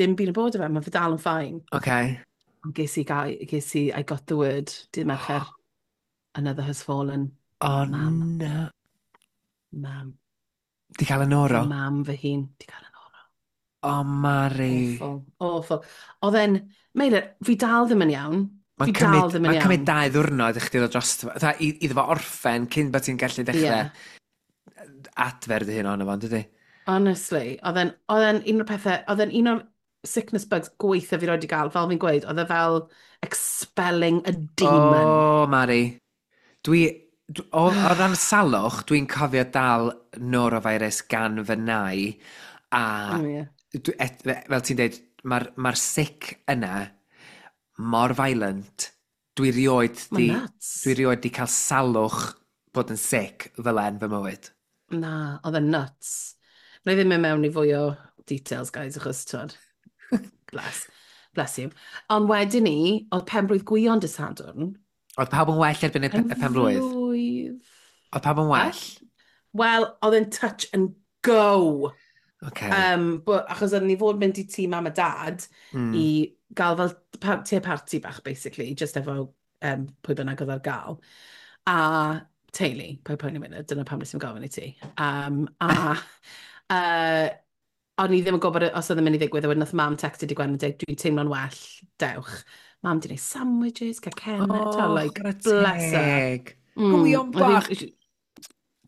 dim byd yn bod o fe, mae fe dal yn fine. Okay. Ond ges i, gai, ges i, I got the word, dydd Mercher, another has fallen. Oh Mam. na. Mam. Di cael y noro? Mam fy hun, di cael y noro. Oh, Mari. Awful, awful. Oedd e'n, Meilir, fi dal ddim yn iawn. Mae'n Fi dal cymryd, ddim yn mae'n iawn. cymryd dau ddwrnod i chdi ddod dros... Fatha, i- iddo fo orffen cyn bod ti'n gallu dechrau Yeah. adfer dy hun ohono fo, dydy? Honestly, oedd e'n oedd e'n un o'r pethau, oedd e'n un o'r sickness bugs gweitha fi roed i gael, fel fi'n gweud, oedd e fel expelling a demon. O, Mari. Dwi... dw- O, o ran salwch, dwi'n cofio dal norovirus gan fy nai, a Oh, yeah. dwi, et, fel ti'n dweud, mae'r ma sick yna mor violent. Dwi rioed Mae'n di, nuts. dwi rioed di cael salwch bod yn sick fel en fy mywyd. Na, oedd e'n nuts. Na i ddim mynd mewn i fwy o details, guys, achos, twyd, bless, bless you. Ond wedyn ni, oedd penblwydd Gwion dy Sadwrn. Oedd pawb yn well erbyn y, pe- y penblwydd? Penblwydd. Oedd pawb yn well? Wel, oedd e'n touch and go. Okay. Um, but, achos oedden ni fod mynd i tŷ mam a dad mm. i gael fel pa te party bach, basically, just efo um, pwy bynnag oedd ar gael. A teulu, pwy poeni mynd, dyna pam nes i'n gofyn i ti. Um, a uh, o'n i ddim yn gwybod os oedd yn mynd i ddigwydd, a wedyn nath mam textio di Gwen yn dweud, dwi'n teimlo'n well, dewch. Mam di wneud sandwiches, cacennau, Oh, oh, like, chwarae bless her. teg. Mm, Gwion oedd hi- bach.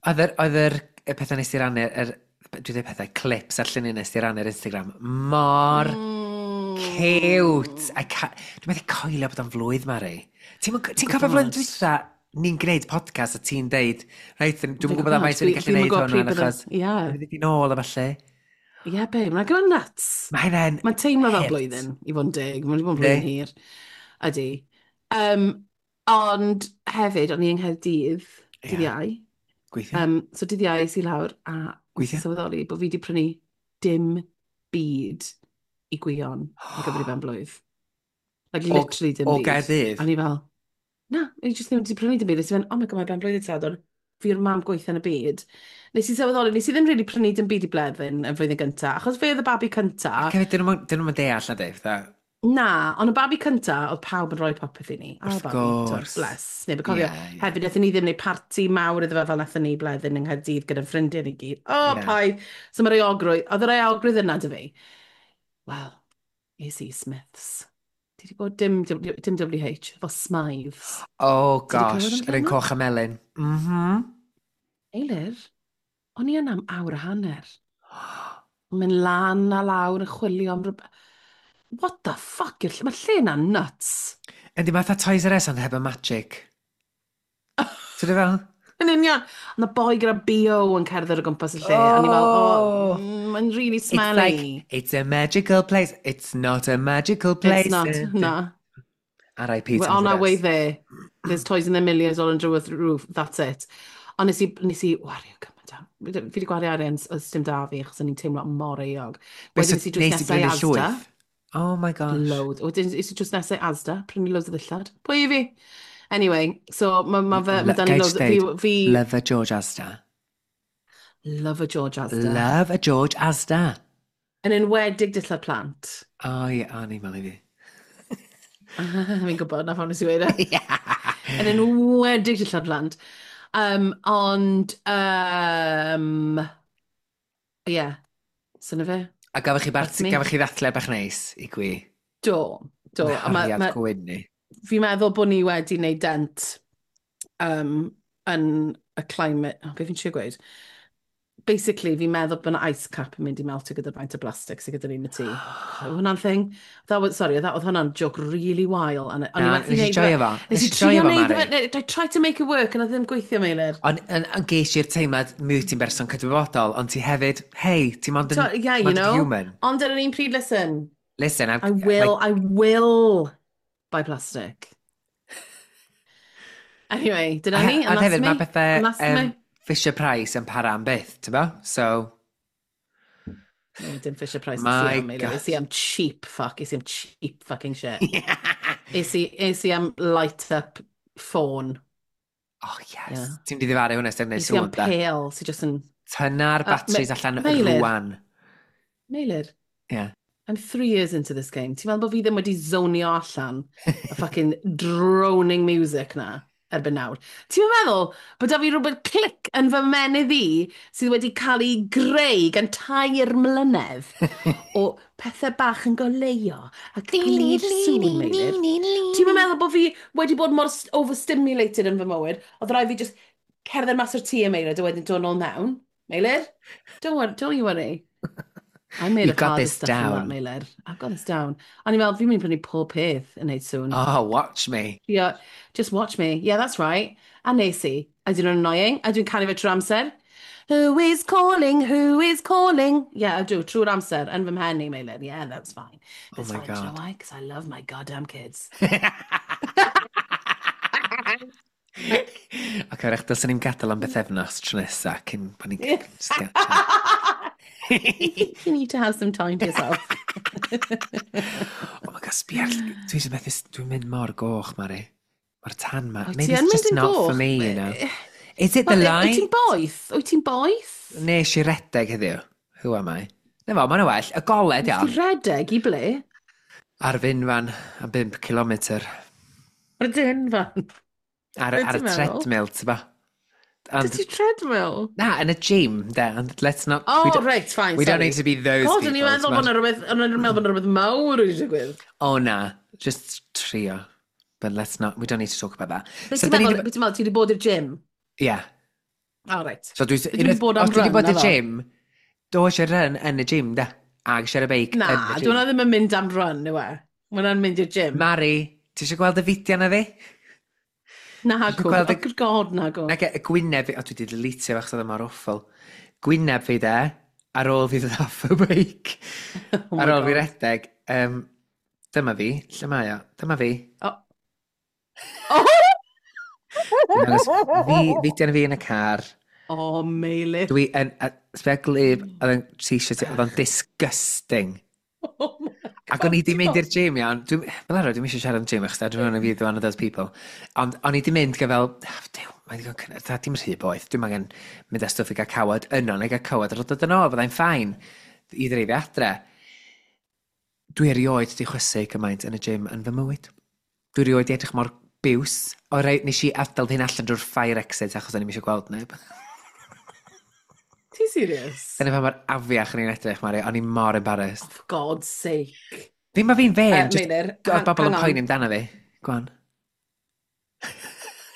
Oedd yr, oedd yr y pethau nes i rannu, yr, dwi'n dweud pethau, clips a'r lluniau nes i rannu ar Instagram, mor Mm. cute. I ca- Dwi'n methu coelio bod o'n flwydd, Mari. Ti'n ti cofio flwyddyn Gwbod. dwytha, ni'n gwneud podcast a ti'n deud, reit, dwi'n gwybod am faint ni'n gallu Dwi'm yn gwneud gwbod hwn, pryd bydde- achos Ie, dwi'n mynd i nôl a falle. ie, babe, mae'n gyda nuts. Mae hynna'n Mae'n teimlo fel hurt. blwyddyn, i fod yn deg. Mae'n wedi bod yn blwyddyn Yndi. hir. Ydy. Um, ond hefyd, o'n i yng Nghaerdydd, dydd Ie. Iau. Gweithio. Um, so dydd Iau es i lawr a nes i Gweithio. sylweddoli bod fi wedi prynu dim byd i Gwion ar gyfer ei ben blwydd. Like, O- literally dim O byd. Gaerdydd. A ni fel, na, ni jyst ddim wedi prynu dim byd. Nes i fynd, oh my god, mae ben blwydd dydd Sadwrn. Fi'r mam gweitha yn y byd. Nes i sylweddoli, nes i ddim really prynu dim byd i Bleddyn yn flwyddyn gynta, achos fe oedd y babi cynta. Ac hefyd, dyn nhw'm dyn nhw'm yn deall na dweud, fatha, Na, ond y babi cynta, oedd pawb yn rhoi popeth i ni. A Wrth babi, twr, gwrs. bless. Neb yn cofio. Ie, ie. Hefyd, wnaethon ni ddim wneud parti mawr iddo fe fel wnaethon ni Bleddyn yng Nghaerdydd gyda'n ffrindiau ni gyd. O, oh, Ie. paid. So mae'r euogrwydd, oedd yr euogrwydd yna dy fi. Wel, es i Smiths. Ti wedi bod dim, dim, dim W H, efo Smythes. Oh Ti 'di gosh, clywed yr un amdano? coch a melyn. Mhm. Eilir, o'n i yna am awr a hanner. Mynd lan a lawr yn chwilio am rhywbeth. What the fuck? yw'r lle- Mae'r lle yna'n nuts. Yndi, mae fatha Toys R Us ond heb y magic. Ti'n dweud fel? Yn union. Ond y boi gyda B O yn cerdded o gwmpas y lle. Oh. A ni fel, "Oh, mm, mae'n really It's smelly." like, it's a magical place. It's not a magical place. It's not, na. R I P. We're on our way there. There's toys in the millions all under the roof. That's it. Ond nes i, nes i wario gymaint am. Fi wedi gwario arian os dim da fi, achos o'n i'n teimlo mor euog. Wedyn nes i drws Nes i nesau brynu Asda. llwyth. Oh my gosh. Loads. Wedyn nes i drws nesau Asda, prynu loads o ddillad. Pwy i fi? Anyway, so mae ma fe, ma Lo- dan ni Gai loads. jyst Fi, deud, fi Love a George Asda. Love a George Asda. Love a George Asda. Yn enwedig dillad plant. O ie, o ni'n malu fi. Fi'n gwybod na pham nes i weud e. Yn enwedig dillad plant. Um, ond, um, yeah, so na fe. A gafach chi, That's barti, me. gafach chi ddathlu bach neis i gwi? Do, do. A ma, Nghariad ma, gwyn ni. Fi'n meddwl bod ni wedi wneud dent um, yn y climate. Oh, be fi'n trio gweud? Basically, fi'n meddwl bod yna ice cap yn mynd i meltio gyda'r faint o blastig sydd gyda ni yn y tŷ. Oedd hwnna'n thing? That was, sorry, that oedd hwnna'n joke really wael. And, o'n i Na, methu nes i neud fe- joio fo. Nes i Nes i trio joio fo, neud Mari. fe. I tried to make it work and oedd ddim gweithio, Meilir. Ond yn, yn geis i'r teimlad mi wyt ti'n berson cydwybodol, ond ti hefyd, hey, ti'n mond yn, So, yeah, you mond yn know. human. Ond ar yr un pryd, listen, Listen, I'm, I will, I will buy plastic. Anyway, dyna ni, A and that's hefyd, me. mae pethau And that's um, me. Fisher Price yn para am byth, ti'n bo? So, No, dim Fisher Price. My My am, God. Is i am cheap fuck. Is i am cheap fucking shit. Is i, is i am light up phone. Oh yes. Yeah. Ti'n di ddifaru hwnna sy'n gwneud Is i am sŵn, da. pale, sy'n just yn. Tynna'r Uh, batteries Me- allan Meilir. rwan. Meilir, Yeah. I'm three years into this game. Ti'n meddwl bod fi ddim wedi zonio allan y fucking droning music na erbyn nawr? Ti'n meddwl bod da fi rhywbeth click yn fy menydd i sydd wedi cael ei greu gan tair mlynedd o pethau bach yn goleuo a gwneud sŵn, Meilir? Ti'n meddwl bod fi wedi bod mor s- overstimulated yn fy mywyd, oedd rhaid fi just cerdded mas o'r tŷ, Meilir, a wedyn dod nôl mewn? Meilir? Don't worry, don't you worry. I made You've of got harder this stuff than that, down. Meilir. I've got this down. A ni'n meddwl, fi'n mynd i prynu pob peth yn neud sŵn. Oh, watch me. Yeah, just watch me. Yeah, that's right. A nes i. A dyn nhw'n annoying. A dwi'n canu fe trwy'r amser. "Who is calling? Who is calling?" Yeah, I do. Trwy'r amser. Yn fy mhen i, Meilir. Yeah, that's fine. Oh That's my fine. Do you know God. why? Because I love my goddamn kids. Ac wrach, dylswn ni'n gadael am bythefnos tro nesa cyn bod ni'n just get You need to have some time to yourself. Oh my God, sbia, dwi eisiau methu, dwi'n mynd mor goch, Mari. Mae'r tan ma. Wyt Maybe ti yn it's just mynd yn not for goch? me, you know. Is it the Wel, wyt light? ti'n boeth? Wyt ti'n boeth? Nes i redeg heddiw. Who am I? Na fo, mae'n well. Y golau, Ti iawn. redeg i ble? Ar f'unfan, am bump kilometr. Ar y dyn fan. Ar, Be ar y ti'n meddwl? treadmill, ti'n ba? Did And, ti treadmill? na, yn y gym, de. And let's not... Oh, we don't, right, fine, we don't sorry. need to be those God, people. o'n i'n meddwl t'mod? bod 'na rhywbeth, o'n i'n meddwl bod 'na rhywbeth mawr wedi digwydd. Oh, na. Just trio. But let's not... We don't need to talk about that. Be So, ti'n da ni meddwl, 'di- be ti'n meddwl, ti wedi bod i'r gym? Yeah. Oh, right. So dwi... Dwi 'di bod am os dwi 'di run, bod i'r naddo? gym, do eisiau run yn y gym, da. Ag eisiau y beic Na, yn y dwi gym. hwnna ddim yn mynd am run, yw e? Mae hwnna'n mynd i'r gym. Mari, ti eisiau gweld y fideo na fi? Na, eisiau go. gweld y- Oh, good God, na go. Nag y gwyneb fi, o, dwi wedi deletio achos oedd e mor awful. Gwyneb fi de, ar ôl fi ddod off y beic. Oh my Ar ôl fi God. redeg. Um, dyma fi, lle mae o? Dyma fi. Oh. Oh! Dwi'n dangos fi, fideo na fi yn y car. Oh, Meilir. Dwi yn, a, sbia glib, oedd yn t-shirt, oedd o'n disgusting. Oh my God. Ac o'n i di mynd i'r gym, iawn. Dwi'n, fel arfer, dwi'n eisiau siarad am gym, achos I don't want to be one of those people. Ond o'n i di mynd gyda fel, "Ah, duw, mae'n digon cynnar, dim rhy boeth. Dwi'n angen mynd â stwff i gael cawod yno, neu gael cawod ar ôl dod yn ôl, byddai'n fine i ddreifio adre." Dwi erioed di chwysu gymaint yn y gym yn fy mywyd. Dwi erioed di edrych mor biws. O rei, nes i adael hyn allan drwy'r fire exit achos o'n i'm eisiau gweld neb. Ti serious? Dyna pa mor afiach o'n i'n edrych, Mari. O'n i mor embarrassed. Oh, for God's sake. Ddim ma fi'n fe'n, Uh, just Meilir, oedd hang- bobl yn hang on. poeni amdano fi. Go on.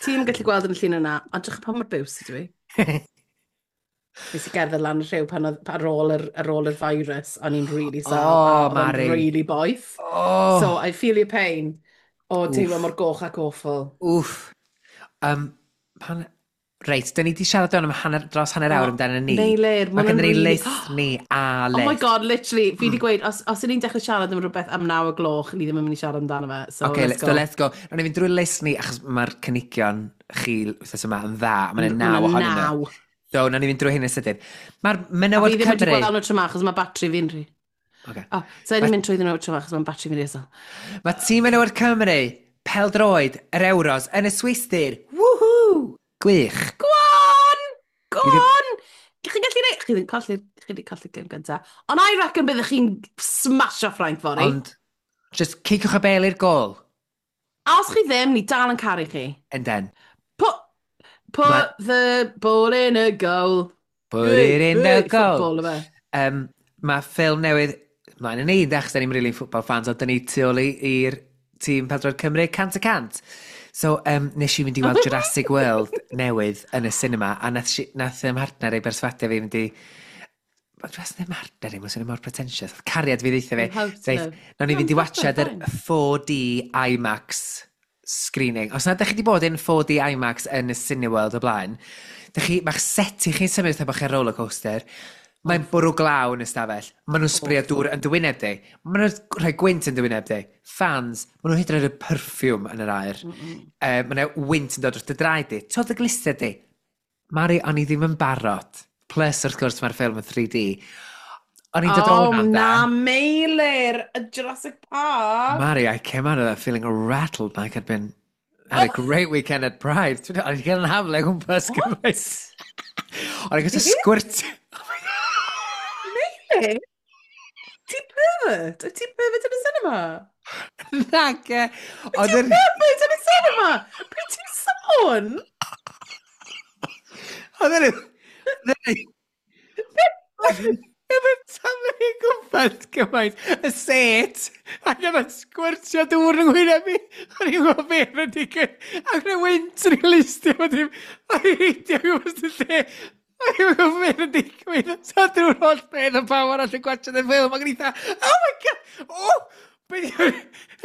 Ti'n gallu gweld yn y llun yna, ond drych pa mor biws ydw i. Nes i gerdded lan y rhyw pan oedd, ar ôl yr, ar ôl yr virus, o'n i'n really sal. Oh, a oedd o'n Mari. really boeth. Oh, So I feel your pain o teimlo mor goch ac awful. Wff. Um, pan... Reit, dyn ni wedi siarad am hanner, dros hanner awr O, amdano ni. Meilir, Mae ma' gen hwnna'n ni really- list ni a list. Oh my God, literally, fi wedi gweud, os, os ydyn ni'n dechrau siarad am rhywbeth am naw o gloch, ni ddim yn mynd i siarad amdano fe. So, Okay, let's so go. let's go. Rhaid ni fynd drwy list ni, achos mae'r cynigion chi wythnos yma yn dda. Mae'n naw Ma' ohonyn nhw. naw. So, nawn ni fynd drwy hyn yn sydyn. Mae'r A menywod fi ddim wedi Cymru. gweld nhw tro 'ma, achos mae batri fi'n rhy. Okay. Oh, so ni'n mynd trwy nhw tro 'ma, achos mae batri fi'n rhy isel. Mae tîm menywod Cymru, peldroed, yr Euros, yn y Swistir. Woohoo! Gwych. Go on! Go Fi ddim- on! Chi'n gallu neud... Chi ddim colli... Chi wedi colli gêm gynta. Ond I reckon byddech chi'n smasho Ffrainc fory. Ond, just ciciwch y bel i'r gol. A os chi ddim, ni dal yn caru chi. And then, Put, put Ma- the ball in a goal. Put it in the Hey, goal. Football, yfe. Um, mae ffilm newydd, mlaen yn ni, achos da ni'n really football fans, ond da ni tu ôl i- i'r tîm Peldroed Cymru cant y cant. So, um, nes i fynd i weld Jurassic World newydd yn y cinema, a nath, si, nath ym mhartner ei berswadio fi fynd i. Wel, dwi'n ddim mhartner i, mae'n swnio mor pretentious. Oedd cariad fi ddeutha fi. Hope so. Deith, nawn ni fynd i No, watchad yr fine. four D IMAX screening. Os na ydych chi wedi bod in four D IMAX yn y Cineworld o blaen, dych chi, mae'ch set i chi'n symud fatha bod chi ar roller coaster. Mae'n bwrw glaw yn y stafell. Maen nhw'n sbrio dŵr yn dywyneb di. Maen nhw'n rhoi gwynt yn dywyneb di. Fans, maen nhw'n hyd yn oed y perfume yn yr aer. Mm -mm. Uh, Mae yna wynt yn dod wrth dy draed di. Twyd y glistau di. Mari, o'n i ddim yn barod. Plus, wrth gwrs, mae'r ffilm yn three D. O'n i'n dod Oh, o'na, na, de. Meilir! Y Jurassic Park! Mari, I came out of that feeling rattled like I'd been had a great weekend at Pride. O'n i'n cael yn hafle gwmpas gymaint. O'n i'n gael squirt. Meilir? Ti'n pervert? Wyt ti'n pervert yn y cinema? Nage. Oedd Ti'n yr pervert yn y cinema? Be ti'n sôn? Oedd yr... Oedd yr... Oedd yn taflu i gwmpas gymaint. Y set. Ac oedd yn sgwirtio dŵr yn ngwyneb fi. O'n i'n gwybod beth yn digwydd. Ac yn y wynt yn ei listio. O'n i'n heidio gwmpas y lle. O'n i'n gwybod beth yn digwydd. So drwy'r holl beth o pawb arall yn gwachio y ffilm. Ac o'n i'n dda, "Oh my God! Oh!" Be di?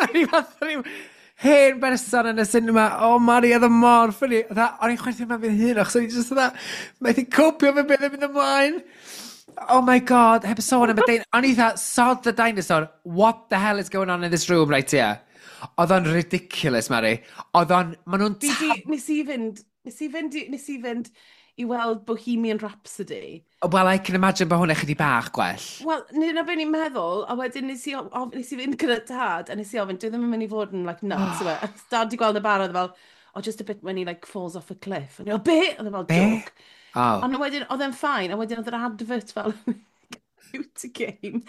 O'n i fath o ryw hen berson yn y cinema. Oh, Mari, oedd o mor funny. O'n i'n chwerthin ma fi'n hun, achos o'n i'n just fatha, methu copio fe beth yn mynd ymlaen. Oh my God, heb sôn am y dein... O'n i dda, "Sod the dinosaur, what the hell is going on in this room right here?" Oedd o'n ridiculous, Mari. Oedd o'n... Maen nhw'n Fi di, nes i fynd, nes i fynd, i- nes i fynd i weld Bohemian Rhapsody. Well, I can imagine bod hwnna chydig bach gwell. Wel, nid na beth ni'n meddwl, a wedyn nes i, of, nes i fynd gyda Dad, a nes i ofyn, "Dwi ddim yn mynd i fod yn, like, nuts, yw e?" Dad di gweld y barod, fel, "Oh, just a bit when he, like, falls off a cliff." A ni fel, "Be?" Oedd e fel, Be? "Joke." Oh. Ond wedyn, oedd e'n fine, a wedyn oedd yr advert fel computer game.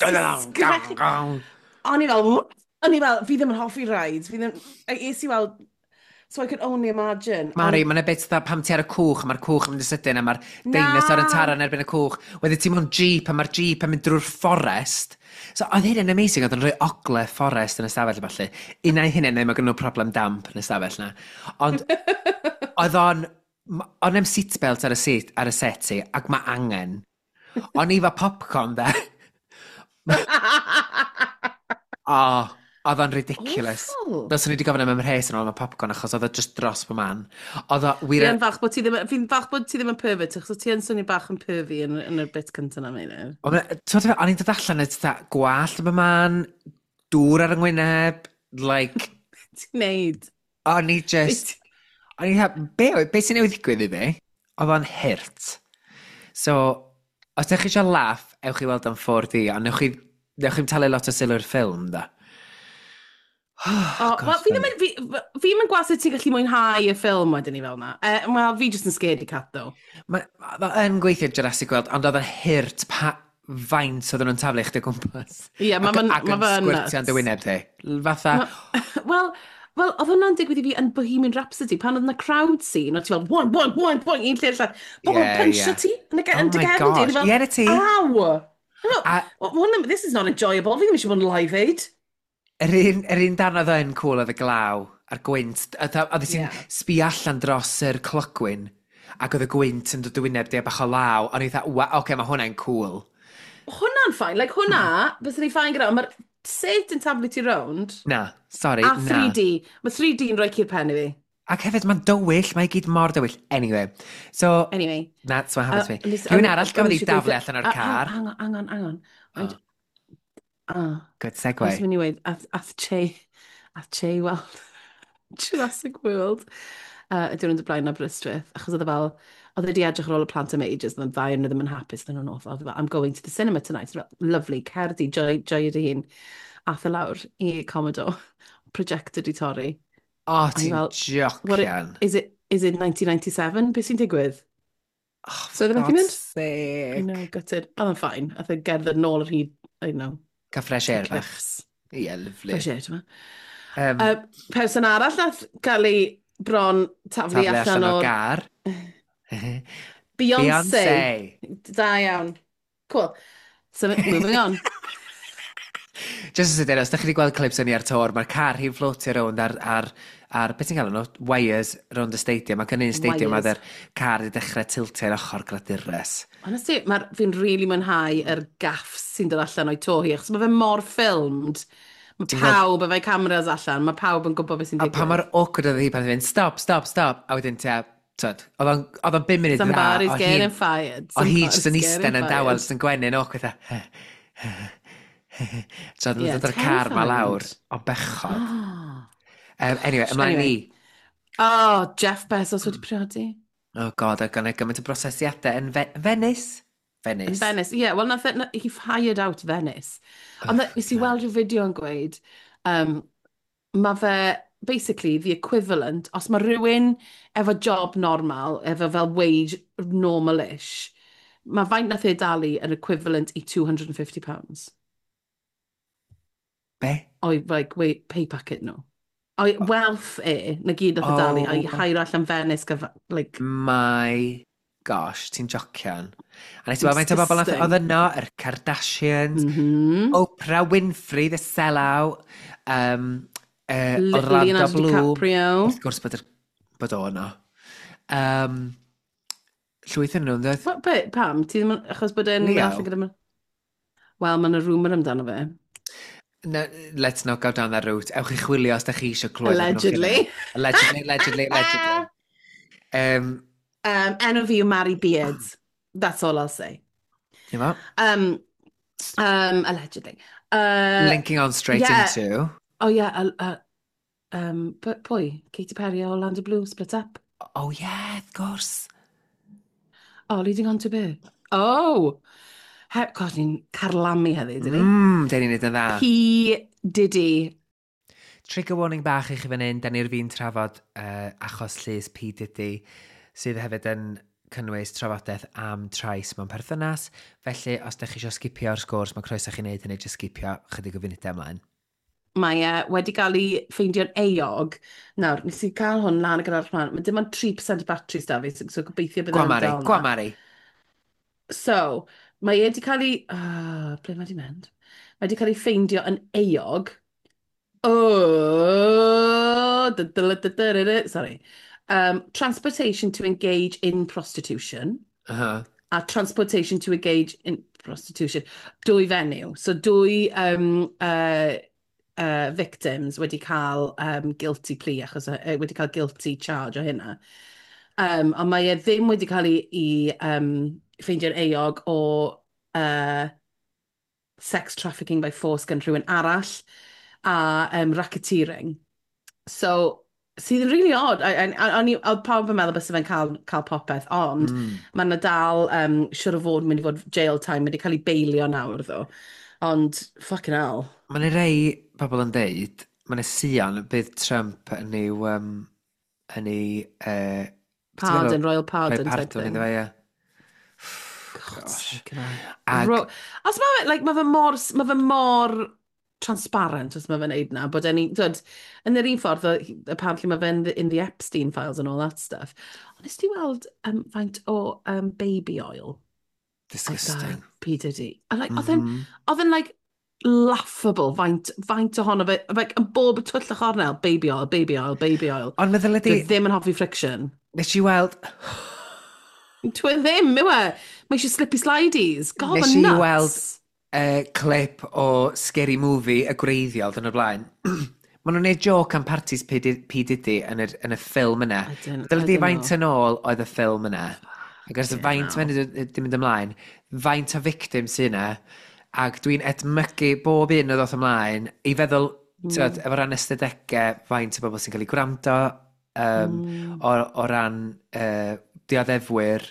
Gong, gong. O'n i fel, "What?" O'n i fel, "Fi ddim yn hoffi rides, fi ddim," es i weld, so I could only imagine. Mari, mae'n bit dda pam ti ar y cwch, a mae'r cwch yn mynd yn sydyn, a mae'r dinosaur yn taro yn erbyn y cwch. Wedyn ti mewn jeep, a mae'r jeep yn mynd drwy'r fforest. So, oedd hyn yn amazing, oedd yn rhoi ogle fforest yn y stafell a falle. Un ai hynny, neu mae gen nhw problem damp yn y stafell na. Ond, oedd o'n... O'n em seatbelt ar y, seat, ar y set i, ac mae angen. O'n i fa popcorn, de. O, oedd o'n ridiculous. Awful. Dylswn ni wedi gofyn am ymrhes yn ôl am y popcorn, achos oedd o just dros fy man. Oedd o wir. Fi'n falch bod ti ddim, fi'n falch bod ti ddim yn pervert, achos ti yn swnio bach yn pervy yn, yn y bit cyntaf na, Meilir. Ond, ti'n gwbod, o'n i'n dod allan yn fatha gwallt yn fy man, dŵr ar yng ngwyneb, like, Ti'n neud? O'n i just, o'n i fatha, be, be sy'n newydd ddigwydd i fi? Oedd o'n hurt. So, os ydych chi eisiau laugh, ewch i weld am four D, ond newch chi, newch chi'n talu lot o sylw i'r ffilm, da. Oh, wel, fi ddim yn, fi, fi ddim yn gweld sut ti'n gallu mwynhau y ffilm wedyn ni fel na. Uh, Wel, fi just yn scaredy cat, though. Mae ma yn gweithio Jurassic World, ond oedd o'n hurt pa faint oedden nhw'n taflu chdi o gwmpas. Ie, ma' Ac- fe'n- Ac ma' yn fe'n sgwirtio yn nuts. dy wyneb di. Fatha, Wel, wel, oedd hwnna'n digwydd i fi yn Bohemian Rhapsody, pan oedd yna crowd scene, oedd ti fel, one, one, one, one, un lle i'r llall. Bobl Ie, yeah, punchio ie. ti yn y Oh yn dy my gefn di. gosh. O'n i fel, Ie, na ti. "Aw! A- Well, hwn- this is not enjoyable. Fi ddim eisiau bod yn Live Aid." Yr un, yr un darn oedd yn cool oedd y glaw a'r gwynt. Oedd oedd ti'n Ie. sbi allan dros yr clogwyn ac oedd y gwynt yn dod dy wyneb di a bach o law. O'n i dda, "Wa, oce, okay, mae hwnna'n cool." Hwnna'n fine. Like, hwnna, byswn i fine gyda, ond mae'r set yn taflu ti rownd. Na, sorry, A na. three D. Mae three D yn rhoi cur pen i fi. Ac hefyd, mae'n dywyll, mae i gyd mor dywyll. Anyway, so, Anyway. That's what happened Uh, to me. nes- Rhywun o'n- arall o'n gafodd ei eisiau daflu gweithio- allan o'r A- a- car. Hang on, hang on, hang on. Oh, Oed- Ah, good Nes segue. mynd i weud, ath, ath Che, ath Che weld Jurassic World uh, y diwrnod o blaen Aberystwyth, achos oedd e fel, oedd e wedi edrych ar ôl y plant am ages, oedd y ddau yn ddim yn hapus, oedd nhw'n awful. Oedd e fel, "I'm going to the cinema tonight." Oedd e fel, "Lovely, cer di, joy, joy dy hun." Ath e lawr i Commodore, projector di torri. O, A i ti'n fel, what it, jocian. is it, is it nineteen ninety-seven? Beth sy'n digwydd? Oh, So for oedd e methu God's mynd? I sake. know, gutted. Oedd e'n fine. Ath e gerdded nôl ar hyd, I don't know, Cael fresh the air bach. cliffs. Ie, yeah, lovely. Fresh air, ti'n Um, Uh, person arall nath gael ei bron taflu taflu allan allan o'r o'r gar. Beyoncé. Beyoncé. Da iawn. Cool. So, moving on. Just yn sydyn, os ydych chi wedi gweld clips o'n i ar tour, mae'r car hi'n floatio rownd ar, ar, ar beth ti'n gael nhw, wires rownd y stadium, ac yn un stadium Wires. oedd yr car wedi dechrau tiltio i'r ochr gladures. Honestly, mae'r, fi'n really mwynhau yr gaffs sy'n dod allan o'i to hi, achos mae fe mor filmed. Mae Ti'n gweld- pawb efo'i cameras allan, mae pawb yn gwybod beth sy'n A pa digwydd. mor awkward oedd hi pan oedd hi'n mynd, "Stop, stop, stop," a wedyn tua, twyd, oedd o'n oedd o'n bum munud dda, Somebody's oedd getting hi'n- fired. oedd hi jyst yn Somebody's eistedd getting yn dawel, fired. jyst yn gwenu'n awkward, a so oedd yn Yeah, dod o'r car ma lawr, terrified. o bechod. Oh. Um, anyway, ymlaen Anyway. ni. Oh, Jeff Bezos wedi priodi. Oh God, oedd gynnu gymaint o brosesiadau yn Fe Venice? Yn Venice. Venice. Yeah, well, nath, e- na, he hired out Venice. Ond oh, nes i weld rhyw fideo yn gweud, um, mae fe basically the equivalent, os mae rhywun efo job normal, efo fel wage normal-ish, mae faint nath e dalu yn equivalent i two hundred and fifty pounds. Be? O'i, like, wait, pay packet nhw. O'i wealth e, na gyd nath e dalu, Oh. a'i hire allan Venice, gyfa, like, My gosh, ti'n jocian. A nes i weld faint o bobl nath Disgusting. oedd yno, yr Kardashians, mm -hmm. Oprah Winfrey, the sellout, um, uh, Le Orlando Leonardo Bloom. DiCaprio. Wrth gwrs bod, yr, bod o yno. Um, llwyth yn nhw, yn What, be, pam? Ti ddim yn, achos bod e'n Leo. allan gyda... Wel, mae yna rumour amdano fe. No, let's not go down that route. Ewch i chwilio os da chi eisiau clywed. Allegedly. Allegedly, allegedly, allegedly. Um, Um, enw fi yw Mary Beard. That's all I'll say. Ie. Um, um, allegedly. Uh, Linking on straight yeah. into... Oh yeah, uh, uh, um, pwy? Katy Perry a Orlando Bloom split up. Oh yeah, of course. Oh, leading on to be. Oh! He, God, ni'n carlamu heddi, dyn ni? Mm, dyn ni'n neud yn dda. P. Diddy. Trigger warning bach i chi fan hyn, da ni'r fi'n trafod uh, achos llys P. Diddy, sydd hefyd yn cynnwys trafodaeth am trais mewn perthynas. Felly, os da chi eisiau skipio'r sgwrs, mae croeso chi wneud hynny, jyst skipio chydig o funudau ymlaen. Mae e wedi cael ei ffeindio'n euog. Nawr, nes i cael hwn lan gyda'r plan. Mae dim ond tri y cant o batteries da fi, so, so gobeithio bydd Gwa e'n Mari, dal gwa 'na. Mari. So, mae e wedi cael ei... Oh, ble mae wedi mynd? Mae wedi cael ei ffeindio yn euog. Oh, da, da, da, da, da, da, sorry. Um, transportation to engage in prostitution Uh -huh. a transportation to engage in prostitution. Dwy fenyw. So dwy um, uh, uh, victims wedi cael um, guilty plea, achos uh, wedi cael guilty charge o hynna. Um, ond mae e ddim wedi cael ei, ei um, ffeindio'n euog o uh, sex trafficking by force gan rhywun arall a um, racketeering. So, sydd yn really odd. A, a, a, a, oedd pawb yn meddwl byse fe'n cael, cael popeth, ond mm. mae yna dal, um, siwr o fod mynd i fod jail time, wedi cael ei beilio nawr, ddo. Ond, fucking hell. Mae yna rei pobl yn deud, mae yna sïon bydd Trump yn ei... Um, yn ei... Uh, Pardon, royal pardon pardon type thing. Iddo fe, ie. God's sake, man. Ag, Ro Os mae fe, like, mae fe mor, mae fe mor transparent os mae fe'n neud na, bod e'n, dod, yn yr un ffordd, o- apparently mae fe'n in the, in the Epstein files and all that stuff. Ond nes ti weld um, faint o um, baby oil oedd Disgusting. da P. Diddy? A like, oedd e'n, Mm -hmm. oedd e'n like laughable faint, faint ohono fe, like, yn bob twll y chornel, baby oil, baby oil, baby oil. Ond meddwl ydi, Dwi ddim yn hoffi friction. Nes i weld... Dwi ddim, yw e? Mae eisiau slippy slidies. God, Nes ma'n i nuts. weld uh, clip o Scary Movie y gwreiddiol dyn o'r blaen. Maen nhw'n neud joke am parties P. P. Diddy yn, yr, yn y ffilm yna. I don't, Dyla I di don't faint know. yn ôl oedd y ffilm yna. Ac ers Fucking faint hell. mae'n di mynd ymlaen, faint o victim sy'n yna, ac dwi'n edmygu bob un o ddoth ymlaen i feddwl, mm. Mm. efo ran ystadegau, faint o bobl sy'n cael eu gwrando, um, Mm. o, o ran uh, dioddefwyr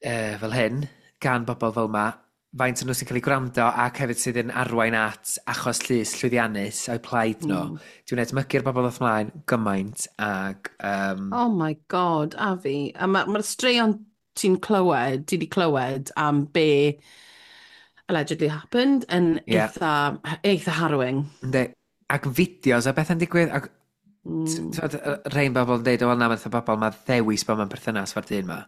uh, fel hyn, gan bobl fel yma, faint o nhw sy'n cael eu gwrando ac hefyd sydd yn arwain at achos llys llwyddiannus o'u plaid nhw. Mm. Dwi'n edmygu'r bobl ddoth ymlaen gymaint ac... Um, Oh my God, a fi. A mae'r ma straeon ti'n clywed, ti di clywed am be allegedly happened yn Ie. eitha, eitha harrowing. Yndi. Ac fideos a beth yn digwydd, ac Mm. mm. rhain bobl yn deud, o wel na, math o bobl, mae ddewis bod mewn perthynas fo'r dyn ma.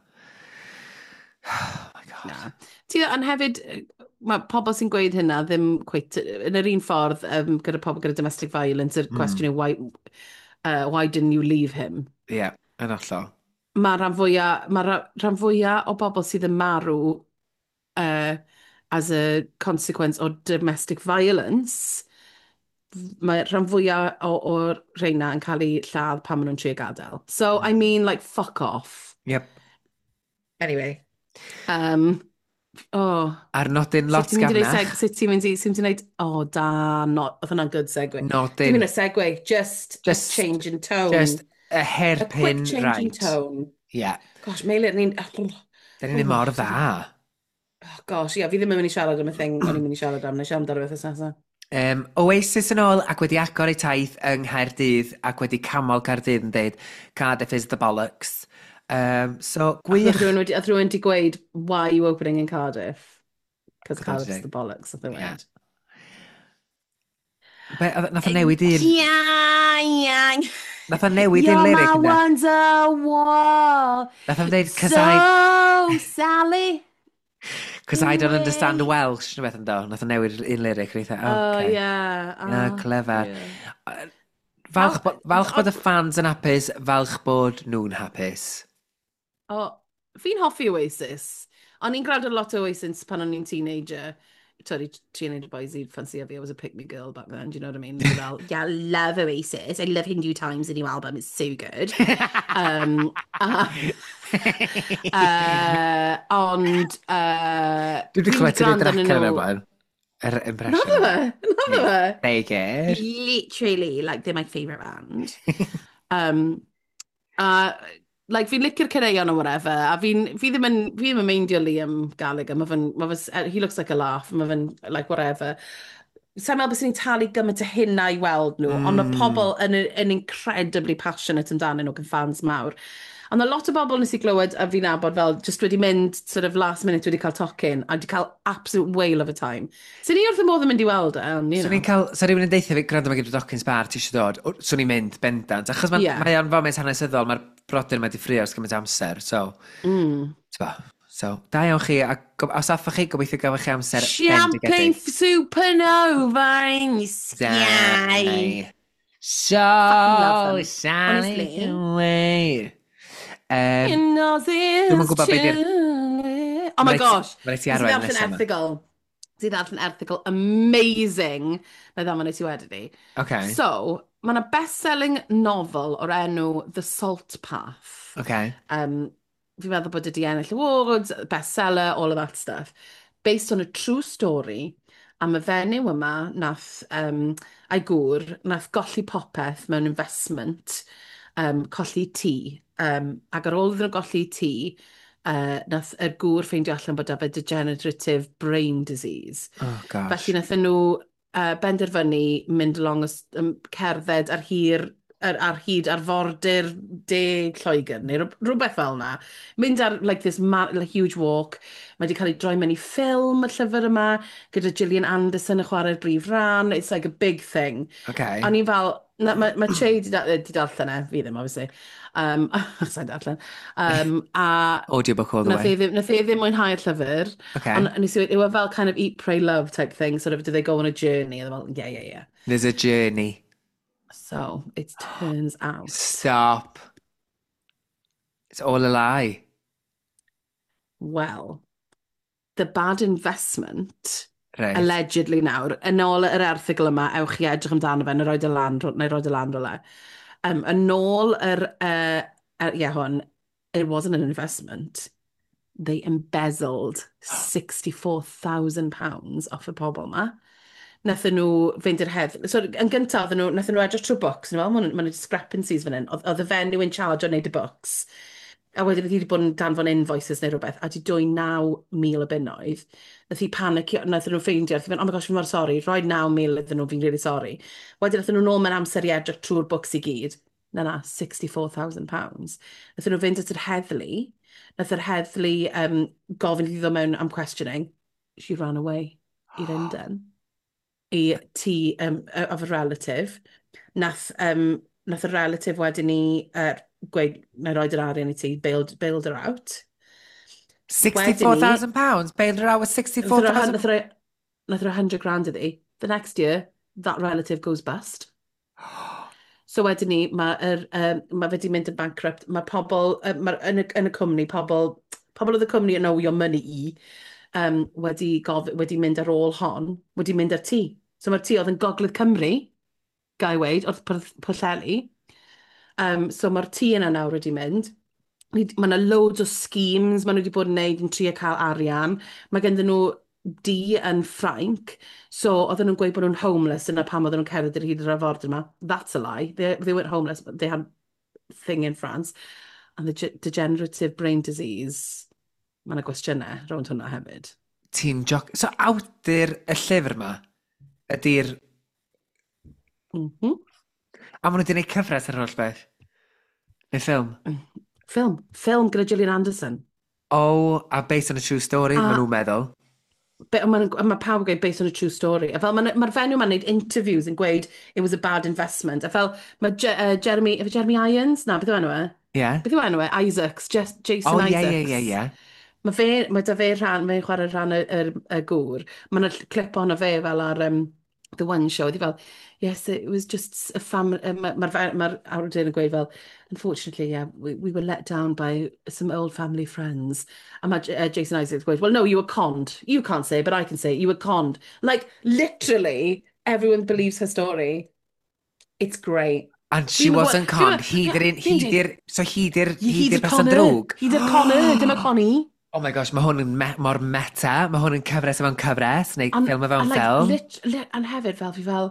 Oh my God. Na. Ti, ond hefyd, mae pobl sy'n gweud hynna ddim cweit, yn yr un ffordd um, gyda pobl gyda domestic violence, yr Mm. cwestiwn yw, why, uh, why didn't you leave him? Ie, yeah, yn hollol. Mae rhan fwyaf, mae rhan fwyaf o bobl sydd yn marw uh, as a consequence o domestic violence, mae rhan fwyaf o'r rheina yn cael eu lladd pan maen nhw'n trio gadael. So, I mean, like, fuck off. Yep. Anyway. Um, oh. Ar nodyn lot Sut ti'n mynd i neud gamnach. seg- Sut ti'n mynd i, sut ti'n mynd i neud, oh, da, not, oedd hwnna'n good segue. Dim Nodyn. yn a segue, just, Just- a change in tone. Just a a quick hairpin change in right. tone. Yeah. Gosh, Meilir, ni'n... Da ni'n mor dda. Oh, gosh, ia, fi ddim yn mynd i siarad am y thing o'n i'n mynd i siarad am, na i siarad amdano beth nesaf. Um, Oasis yn ôl ac wedi agor ei taith yng Nghaerdydd ac wedi camol Caerdydd yn deud "Cardiff is the bollocks." Um, so, Oedd gwych. rhywun wedi, oedd rhywun wedi gweud, "Why are you opening in Cardiff?" Because Oedd Cardiff's wedi the bollocks, oedd Ie. yeah. Be, oedd- nath o newid un... Yeah, yeah. Nath o newid un You're lyric my yna. wonderwall. Nath o'n deud, "Cause So, I, Sally. cause I don't understand Way. Welsh," neu beth yn do. Nath o newid un lyric. Rwy'n Oh, okay. yeah. Yeah, Oh, clever. yeah. Falch, bo, falch bod y Ond- fans yn hapus, falch bod nhw'n hapus. O, fi'n hoffi Oasis. O'n i'n gwrando lot o Oasis pan o'n i'n teenager. Sorry, teenager boys i ffansi fi. I was a pick-me girl back then, do you know what I mean? Fel, "Yeah, love Oasis. I love Hindu Times, the new album. It's so good." Um, a, uh, ond... Uh, Dwi wedi fi'n clywed ti'n neud gwrando yr arnyn acen yna nhw- blaen. Yr impression. Naddo fe? Naddo fe? Baker. Literally, like, they're my favourite band. um, a, like, fi'n licio'r caneuon or whatever, a fi'n, fi ddim yn, fi ddim yn meindio Liam Gallagher, mae fe'n, ma fe, he looks like a laugh, mae fe'n, like, whatever. Sa'n meddwl bys ni'n talu gymaint o hynna i weld nhw, mm. ond mae Mm. pobl yn, yn incredibly passionate amdanyn nhw, yn fans mawr. Ond a lot o bobl nes i glywed a fi'n nabod fel just wedi mynd sort of last minute wedi cael tocyn a wedi cael absolute whale of a time. So ni wrth y modd yn mynd i weld e, ond, you Swn know. i'n cael, sa rhywun yn deutha fi, "Gwrando, mae gen i docyn sbar, ti eisiau dod?" O, swn i'n mynd, bendant. Achos mae Ie. mae o'n foment hanesyddol, mae'r brodyr mae di ffrio ers gymaint o amser, so, Mm. t'bo, so, da iawn chi, a go- os aethoch chi, gobeithio gafoch chi amser Champagne bendigedig. supernova in the sky. So, love them. Sally Honestly. away. Um, Dwi'm Dwi'm yn gwbod be 'di'r- Oh my Ma' raid ti- gosh. ma' raid ti Nes i arwain ddarllen nesa 'ma. erthygl. Nes i ddarllen erthygl amazing. Na i ddamon i ti wedyn ni. Okay. So, mae yna best-selling novel o'r enw The Salt Path. Okay. Um, fi'n meddwl bod wedi ennill awards, bestseller, all of that stuff. Based on a true story am y fenyw yma nath, um, a'i gŵr, nath golli popeth mewn investment, um, colli tŷ. Um, ac ar ôl iddyn nhw golli tŷ, uh, nath y gŵr ffeindio allan bod 'da fe degenerative brain disease. Oh, gosh. Felly nathon nhw uh, benderfynu mynd along, y s- um, cerdded ar hir ar, ar hyd arfordir de Lloegr, neu rw- rhywbeth fel yna. Mynd ar like, this ma like, huge walk. Mae wedi cael ei droi mewn i ffilm, y llyfr yma, gyda Gillian Anderson yn chwarae'r brif ran. It's like a big thing. Okay. A ni fel, na, mae ma Che di, da, di darllen e, fi ddim, obviously. Um, Sa'n darllen. Um, a Audiobook all the nath e way. ddim, nath e ddim mwynhau'r llyfr. Okay. Ond nes i, it was fel kind of Eat, Pray, Love type thing, sort of, do they go on a journey? A fel, yeah, yeah, yeah. There's a journey. So, it turns out. Stop. It's all a lie. Well, the bad investment Right. Allegedly nawr, yn ôl yr erthygl yma, ewch i edrych amdano fe, neu roid y lan, neu roid y lan rhywle. Um, yn ôl yr, uh, uh, yeah, hwn, it wasn't an investment. They embezzled sixty-four thousand pounds off y pobl yma. Nathon nhw fynd i'r hedd. So, yn gyntaf, oedden nhw, nathon nhw edrych trwy books. Nhw, fel, mae'n discrepancies fan hyn. Oedd oedd y fenyw in charge o wneud y books. A wedyn oedd hi wedi bod yn danfon invoices neu rhywbeth, a di dwy naw mil o bunnoedd. Nath hi panicio, nath nhw ffeindio, nath hi fynd, "Oh my gosh, fi'n mor sori, rhoi naw mil iddyn nhw, fi'n really sorry." Wedyn nath nhw nôl mewn amser i edrych trwy'r books i gyd. Na na, sixty-four thousand pounds. Nath nhw fynd at yr heddlu, nath yr heddlu um, gofyn iddi ddod mewn am questioning. She ran away i Lundain. I tŷ um, of a relative. Nath, um, nath y relative wedyn ni uh, gweud, "Na i roid yr arian i ti," bailed, bailed her out. sixty-four thousand pounds? Bailed her out with sixty-four thousand? Nath roi nath roi hundred grand iddi. The next year, that relative goes bust. So wedyn ni, mae'r, um, mae fe wedi mynd yn bankrupt. Mae pobl, uh, ma, yn, y, yn y cwmni, pobl, pobl oedd y cwmni yn owe your money i, um, wedi, gof, wedi mynd ar ôl hon, wedi mynd ar tŷ. So mae'r tŷ oedd yn Gogledd Cymru, gai weud, oedd Pwllheli. Um, so mae'r tŷ yna nawr wedi mynd. Mae yna loads o schemes maen nhw wedi bod yn neud yn trio cael arian. Mae ganddyn nhw dŷ yn Ffrainc, so oedden nhw'n gweud bod nhw'n homeless, yna pam oedden nhw'n cerdded ar hyd yr arfordir yma. That's a lie. They, they weren't homeless, but they had thing in France. And the degenerative brain disease, mae yna gwestiynau rownd hwnna hefyd. Ti'n joc... So awdur y llyfr yma ydy'r... Mm -hmm. A maen nhw wedi gwneud cyfres ar holl beth? Neu ffilm? Ffilm. Ffilm gyda Gillian Anderson. Oh, a based on a true story, maen nhw'n meddwl. Mae ma pawb yn gweud based on a true story. A fel mae'r ma fenyw ma'n neud interviews yn gweud it was a bad investment. A fel mae Je uh, Jeremy, efo Jeremy Irons? Na, beth yw enw e? Yeah. Beth yw enw e? Isaacs, Just, Jason oh, Isaacs. Ie, ie, ie, ie. Mae fe, mae da fe rhan, mae'n chwarae rhan y, y, y gŵr. Mae yna clip ohono fe fel ar um, The One Show. Ydy fel, "Yes, it was just a family." Mae'r ma, ma, ma awdur yn gweud fel, "Unfortunately, yeah, we, we were let down by some old family friends." A mae uh, Jason Isaacs gweud, "Well, no, you were conned. You can't say, but I can say, you were conned." Like, literally, everyone believes her story. It's great. And she wasn't conned. Hi di'r hi di'r, so hi di'r, hi di'r person drwg. Hi di'r conner, dim y connie. Oh my gosh, mae hwn yn me mor meta. Mae hwn yn cyfres o fewn cyfres, neu ffilm o fewn like, ffilm. Lit, lit, and hefyd, fel fi fel,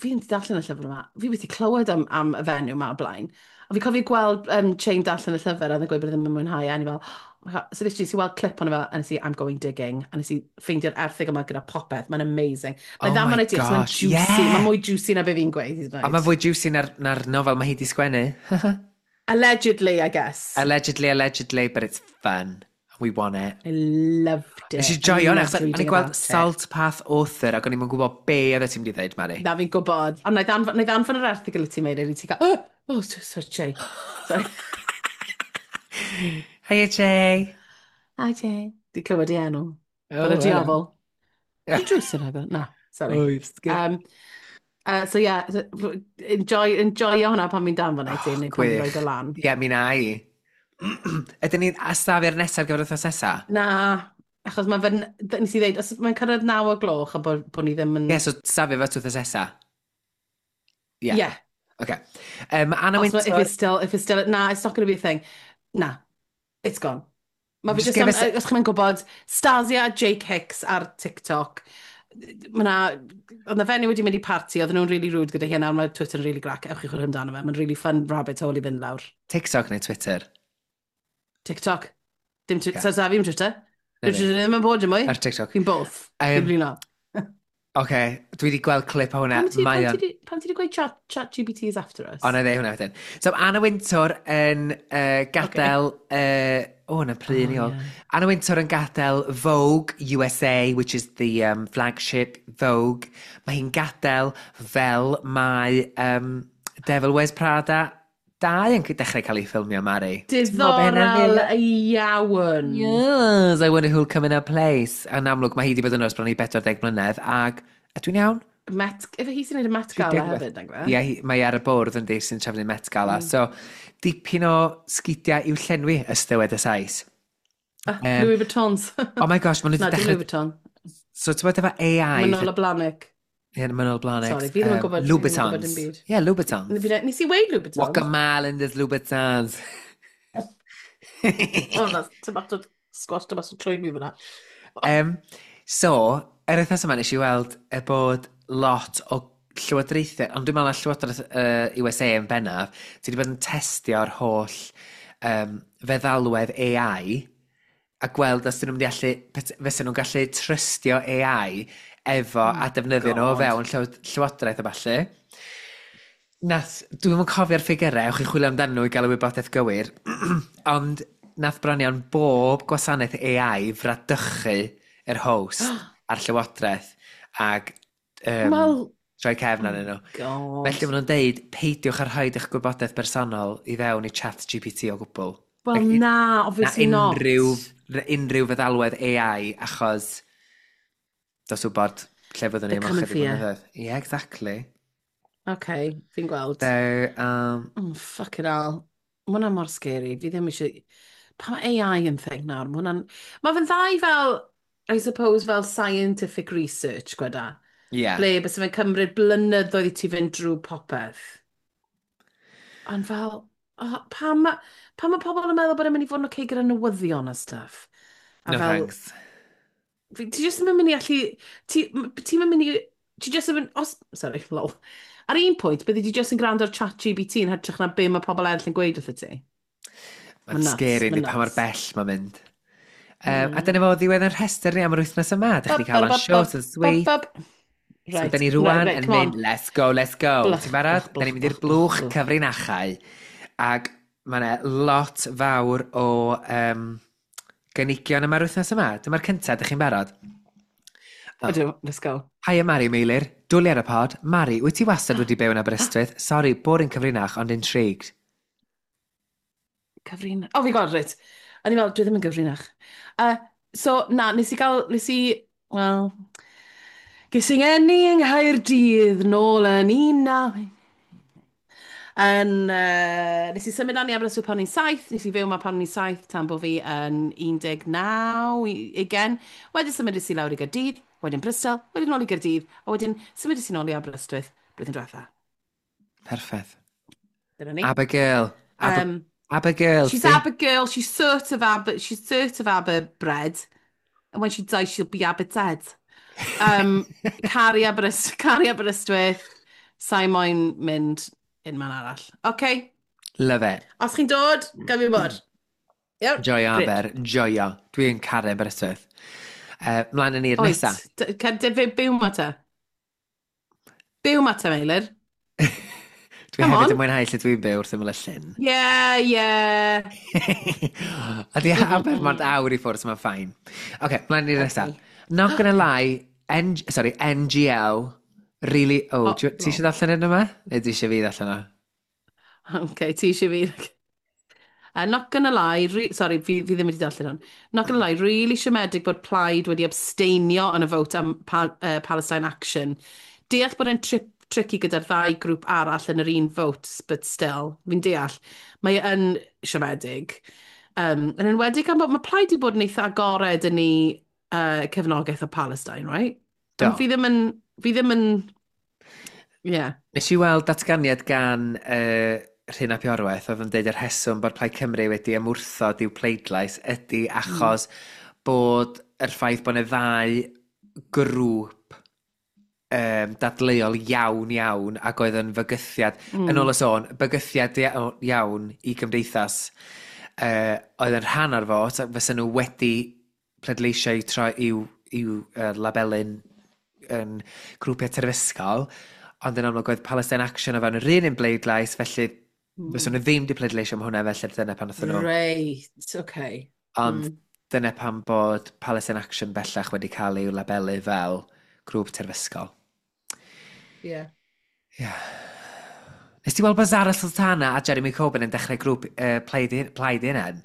fi'n darllen y llyfr yma, fi wedi clywed am, am y fenyw yma o blaen. A fi cofio gweld um, Chain darllen y llyfr a oedd yn gweud bod e ddim yn mwynhau, a ni fel, oh my God. So literally, nes i weld clip ono fe, a nes i, "I'm going digging," a nes i ffeindio'r erthygl yma gyda popeth. Mae'n amazing. Mae'n Oh dda my ma'n idea, mae'n gosh, juicy. yeah. Mae'n mwy juicy na be fi'n gweud, hyd yn A oed. mae fwy juicy na'r, na nofel mae hi di sgwennu. Allegedly, I guess. Allegedly, allegedly, but it's fun. We want it. I loved it. Nes i joio hwnna, I loved achos o'n i'n reading gweld about it. Salt Path Author ac o'n i'n gwybod be oedd ti'n mynd i ddweud, Mari. Na, fi'n gwybod. Ond na i ddanfon, na i ddanfon yr erthygl i ti, Meilir, i ti gael, "Oh, oh, so, so, Jay." Sorry. Hiya, Jay. Hi, Jay. Di clywed i enw. Oh, Fel y hello. diafol. Di drws yn agor? Na, sorry. Oh, you've skipped. Um, uh, so yeah, so, enjoy, enjoy hwnna pan fi'n danfon i ti, neu pan fi'n Gwych. rhoi o lan. Ie, mi na i. Ydyn ni'n astafu'r nesaf ar gyfer wythnos nesaf? Na, achos mae fe'n, nes i ddeud, os mae'n cyrraedd naw o gloch a bod, bod ni ddim yn. Ie, yeah, so safio fe wythnos nesaf. Ie. Yeah. Okay. Um, Anna Os ma, if Wintour. it's still, if it's still, na, it's not going to be a thing. Na, it's gone. Mae fe Just just, give am, us a- os chi'n gwybod, Stasia Jake Hicks ar TikTok, mae na, oedd na fenyw wedi mynd i party, oedden nhw'n really rude gyda hi, a nawr mae Twitter yn really grac, ewch i chwilio amdano fe, mae'n really fun rabbit hole i fynd lawr. TikTok neu Twitter? TikTok. Dim Twitter, Ocê. so sa fi'n Twitter. Na Dim fi. Twitter ddim yn bod dim mwy. Ar TikTok. Fi'n both. Um, Fi'n blino. Oce, dwi wedi gweld clip o hwnna. Pam ti, Mae pam o'n ti, di- pam ti di gweud chat, chat G P T is after us? O, na i ddeud hwnna wedyn. So, Anna Wintour yn uh, gadael... Okay. Uh, o, na pryd Oh, ni ôl. ie. Anna Wintour yn gadael Vogue U S A, which is the um, flagship Vogue. Mae hi'n gadael fel mae um, Devil Wears Prada dau yn dechrau cael ei ffilmio, Mari. Ti'n meddwl bod hynna'n Diddorol rili- iawn. Yes, I wonder who'll come in her place. Yn amlwg, mae hi wedi bod yn ers bron i pedwar deg mlynedd, ag... A dwi'n iawn? Met, efe hi sy'n neud y Met Gala hefyd, nag fe? Ie, hi- mae ar y bwrdd yn di sy'n trefnu Met Gala. Mm. So, dipyn o sgidiau i'w llenwi, ystywed y Sais. Ah, Yym, Louis Vuittons. Oh my gosh, maen nhw Na, wedi dim Louis dechrau Vuitton. So ti'n bod efo A I... Manolo Blahnik. Ie, yeah, Manolo Blahnik. Sorry, fi ddim yn um, gwybod, fi ddim yn gwybod Louboutins. dim byd. Yeah, Louboutins. Nes i weud Louboutins. Walk a mile in this Louboutins. Oh, that's tomato squash tomato trwy mi fyna. Um, so, yr wythnos yma nes i weld y bod lot o llywodraethau, ond dwi'n meddwl na llywodraeth uh, U S A yn bennaf, sydd wedi bod yn testio'r holl um, feddalwedd A I a gweld os dyn nhw'n mynd i allu, fysa nhw'n gallu trystio A I efo oh a defnyddio nhw o fewn llywodraeth a ballu. Nath, dwi'm yn cofio'r ffigurau, ewch i chwilio amdanyn nhw i gael y wybodaeth gywir, ond nath bron iawn bob gwasanaeth A I fradychu yr host a'r llywodraeth ag um, well, troi cefn arnyn nhw. God. Felly maen nhw'n deud, peidiwch â rhoid eich gwybodaeth bersonol i fewn i Chat G P T o gwbl. Wel like, na, obviously na not. Unrhyw, unrhyw feddalwedd A I, achos dos wybod lle fyddwn ni They're am coming ychydig for you. blynyddoedd. Yeah, exactly. Okay, fi'n gweld. So, um, oh, fucking hell. Mae hwnna mor scary. Fi ddim eisiau... Pa mae A I yn thing nawr? Mae hwnna'n... Mae fe'n ddau fel, I suppose, fel scientific research, gweda. Yeah. Ble, bys fe'n cymryd blynyddoedd i ti fynd drwy popeth. Ond fel, oh, pam ma, pam mae pobl yn meddwl bod e'n mynd i fod yn okay gyda newyddion a stuff? A no fel, thanks. Fi, ti jyst ddim yn mynd i allu... Ti, ti'n mynd i... Ti jyst yn mynd... Os, sorry, lol. Ar un pwynt, byddi di jyst yn gwrando ar Chat G P T yn hytrach na be mae pobl eraill yn gweud wrtho ti. Mae'n nuts, scary, ma'n yndi, pa mor nuts. bell mae'n mynd. Um, Mm. A dyna fo ddiwedd yn rhestr ni am yr wythnos yma. Dych chi cael o'n short and sweet. Bop, bop. So, Right, da ni rwan right, right, yn come mynd, on. let's go, let's go. Blwch, Ti'n barod? blwch, Da ni'n mynd i'r blwch, blwch blwch. cyfrinachau. Ac mae yna lot fawr o um, gynigion yma'r wythnos yma. Dyma'r cyntaf, dych chi'n barod? Oh. Ydw, let's go. Hiya Mari Meilir, dwli ar y pod. Mari, wyt ti wastad wedi byw yn Aberystwyth? Sorry, boring cyfrinach, ond intrigued. Cyfrinach? Oh, fi gweld, reit. O'n i'n meddwl, dwi ddim yn gyfrinach. Uh, so, na, nes i gael, nes i, wel, ges i ngeni yng Nghaerdydd nôl yn un naw... Yn, uh, nes i symud lan i Aberystwyth pan o'n i'n saith, nes i fyw yma pan o'n i'n saith tan bod fi yn un deg naw, ugain. Wedyn symudais i lawr i Gaerdydd, wedyn Bristol, wedyn nôl i Gaerdydd, a wedyn symudais i nôl i Aberystwyth blwyddyn diwetha. Perffaith. Dyna ni. Abigail. Aber, um, Abigail. She's see? Abigail, she's sort of Aber, she's sort of Aber bred. And when she dies, she'll be Aber dead. Um, caru Aberystwyth, caru Aberystwyth, sa'i moyn mynd un man arall. OK. Love it. Os chi'n dod, gaf fi bod. Iawn. Joio Great. Aber, joio. Dwi'n caru Aberystwyth. Uh, mlaen yn i'r nesa. Oes. D- Byw ma te. Byw ma te, Meilir. Dwi Come hefyd on. yn mwynhau lle dwi'n byw wrth ymyl y llyn. Yeah, yeah. A di Aber mond awr i ffwrdd, so mae'n fine. OK, mlaen i'r nesa. Okay. Not gonna lie, N sorry, N G L, really... Oh, Oh, ti eisiau ddarllen hyn yma? Neu ti eisiau fi ddarllen o? OK, ti eisiau fi. Uh, not gonna lie, re sorry, fi, fi ddim wedi darllen hwn. Not gonna lie, really siomedig bod Plaid wedi abstainio yn y vote am pa uh, Palestine Action. Deall bod e'n tri tricky gyda'r ddau grŵp arall yn yr un vote, but still, fi'n deall. Mae yn siomedig. Um, yn enwedig am bod mae Plaid wedi bod yn eitha agored yn ei uh, cefnogaeth o Palestine, right? Do. Ond fi ddim yn... Fi ddim yn... Yeah. Nes i weld datganiad gan uh, Rhun ap Iorwerth oedd yn deud yr rheswm bod Plaid Cymru wedi ymwrthod i'w pleidlais ydy achos mm. bod yr ffaith bod yna ddau grŵp um, dadleuol iawn iawn ac oedd yn fygythiad, mm. yn ôl y sôn, bygythiad iawn i gymdeithas uh, oedd yn rhan o'r fot, fysa nhw wedi pleidleisio i troi i'w, i'w uh, labelyn yn grwpiau terfysgol, ond yn amlwg oedd Palestine Action o fewn yr un un bleidlais, felly mm. fysa nhw ddim wedi pleidleisio am hwnna, felly dyna pan wnaethon nhw. Reit, okay. Ond mm. dyna pam bod Palestine Action bellach wedi cael ei labelu fel grŵp terfysgol. Ie. Yeah. Yeah. Nes ti weld bod Zara Sultana a Jeremy Corbyn yn dechrau grŵp uh, Plaid Plaid Hunan?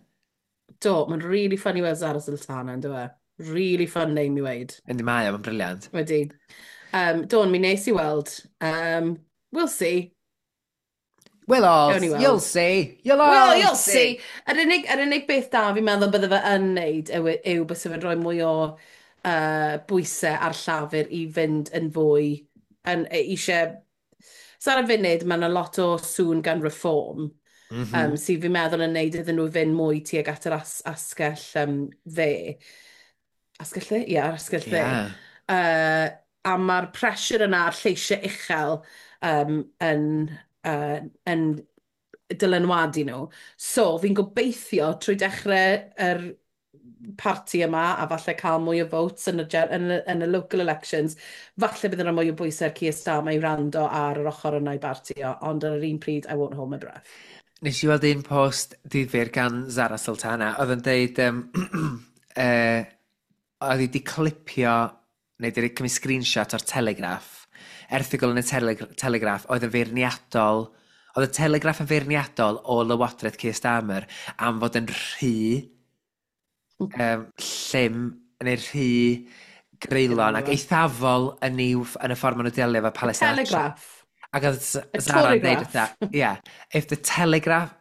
Do, mae'n really funny weld Zara Sultana, yn dyw e? Really fun name i weid. Yndi mae o, mae'n brilliant. Wedi. Um, do, mi nes i weld. Um, we'll see. We'll all, Gawn ni weld. you'll see. You'll all Well, you'll see. Yr unig, yr unig beth da fi'n meddwl bydde fe yn neud yw, yw byse fe'n rhoi mwy o uh, bwysau ar Llafur i fynd yn fwy, yn eisiau. So ar y funud, mae yna lot o sŵn gan Reform, Mm mm -hmm. um, sydd fi'n meddwl yn neud iddyn nhw fynd mwy tuag at yr as asgell um, dde. Asgell dde? Ie, yeah, asgell dde. Yeah. Uh, a mae'r pressure yna a'r lleisiau uchel um, yn, uh, yn dylanwadu nhw. So, fi'n gobeithio trwy dechrau yr parti yma a falle cael mwy o votes yn y, yn y, yn y local elections, falle bydd yna mwy o bwysau ar Keir Starmer i wrando ar yr ochr yna i barti o, ond ar yr un pryd, I won't hold my breath. Nes i weld un post difyr gan Zara Sultana, oedd yn deud, um, uh, oedd hi wedi clipio, neu wedi cymryd screenshot o'r Telegraph, erthygl yn y Tele Telegraph, oedd yn feirniadol, oedd y Telegraph yn feirniadol o Lywodraeth Keir Starmer am fod yn rhy um, llym, neu rhy greulon ac eithafol yn, i'w, yn y ffordd maen nhw'n delio efo Palestine. Telegraph. Ac oedd Zara'n dweud wrtha, yeah, if the Telegraph,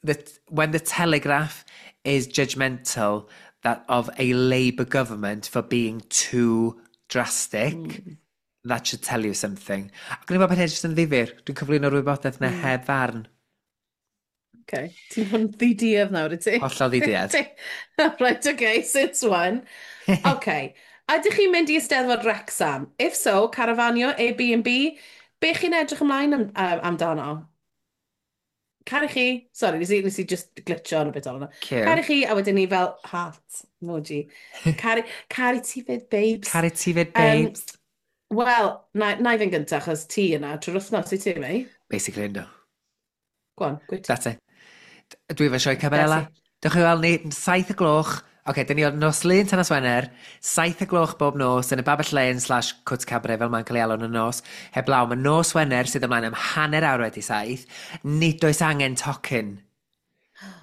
the, when the Telegraph is judgmental that of a Labour government for being too drastic, mm. that should tell you something. Ac o'n i'n meddwl bod hyn jyst yn ddifyr. Dwi'n cyflwyno'r wybodaeth na mm. heb farn. Okay. Ti'n fod yn ddiduedd nawr, wyt ti? Hollol ddiduedd. Right, okay, since one. Okay. Ydych chi'n mynd i Eisteddfod Wrexham? If so, carafanio, Airbnb, be chi'n edrych ymlaen am, um, amdano? Caru chi. Sorry, nes i, nes i just glitcho on a bit on. Caru chi, a wedyn ni fel heart emoji. Caru, caru ti fyd, babes. Caru ti fyd, babes. Um, Wel, na, na i fynd gyntaf, achos ti yna trwy'r wythnos i ti, mei? Basically, ynddo. Go on, gwyt. That's it. Dwi efo sioe Cabarella. Dewch i weld ni, saith y gloch. Oce, okay, dyn ni o'r nos Lun tan nos Wener, saith y gloch bob nos yn y Babell Lane slash Cwt Cabaret fel mae'n cael ei alw yn y nos. Heblaw, mae nos Wener sydd ymlaen am hanner awr wedi saith. Nid oes angen tocyn.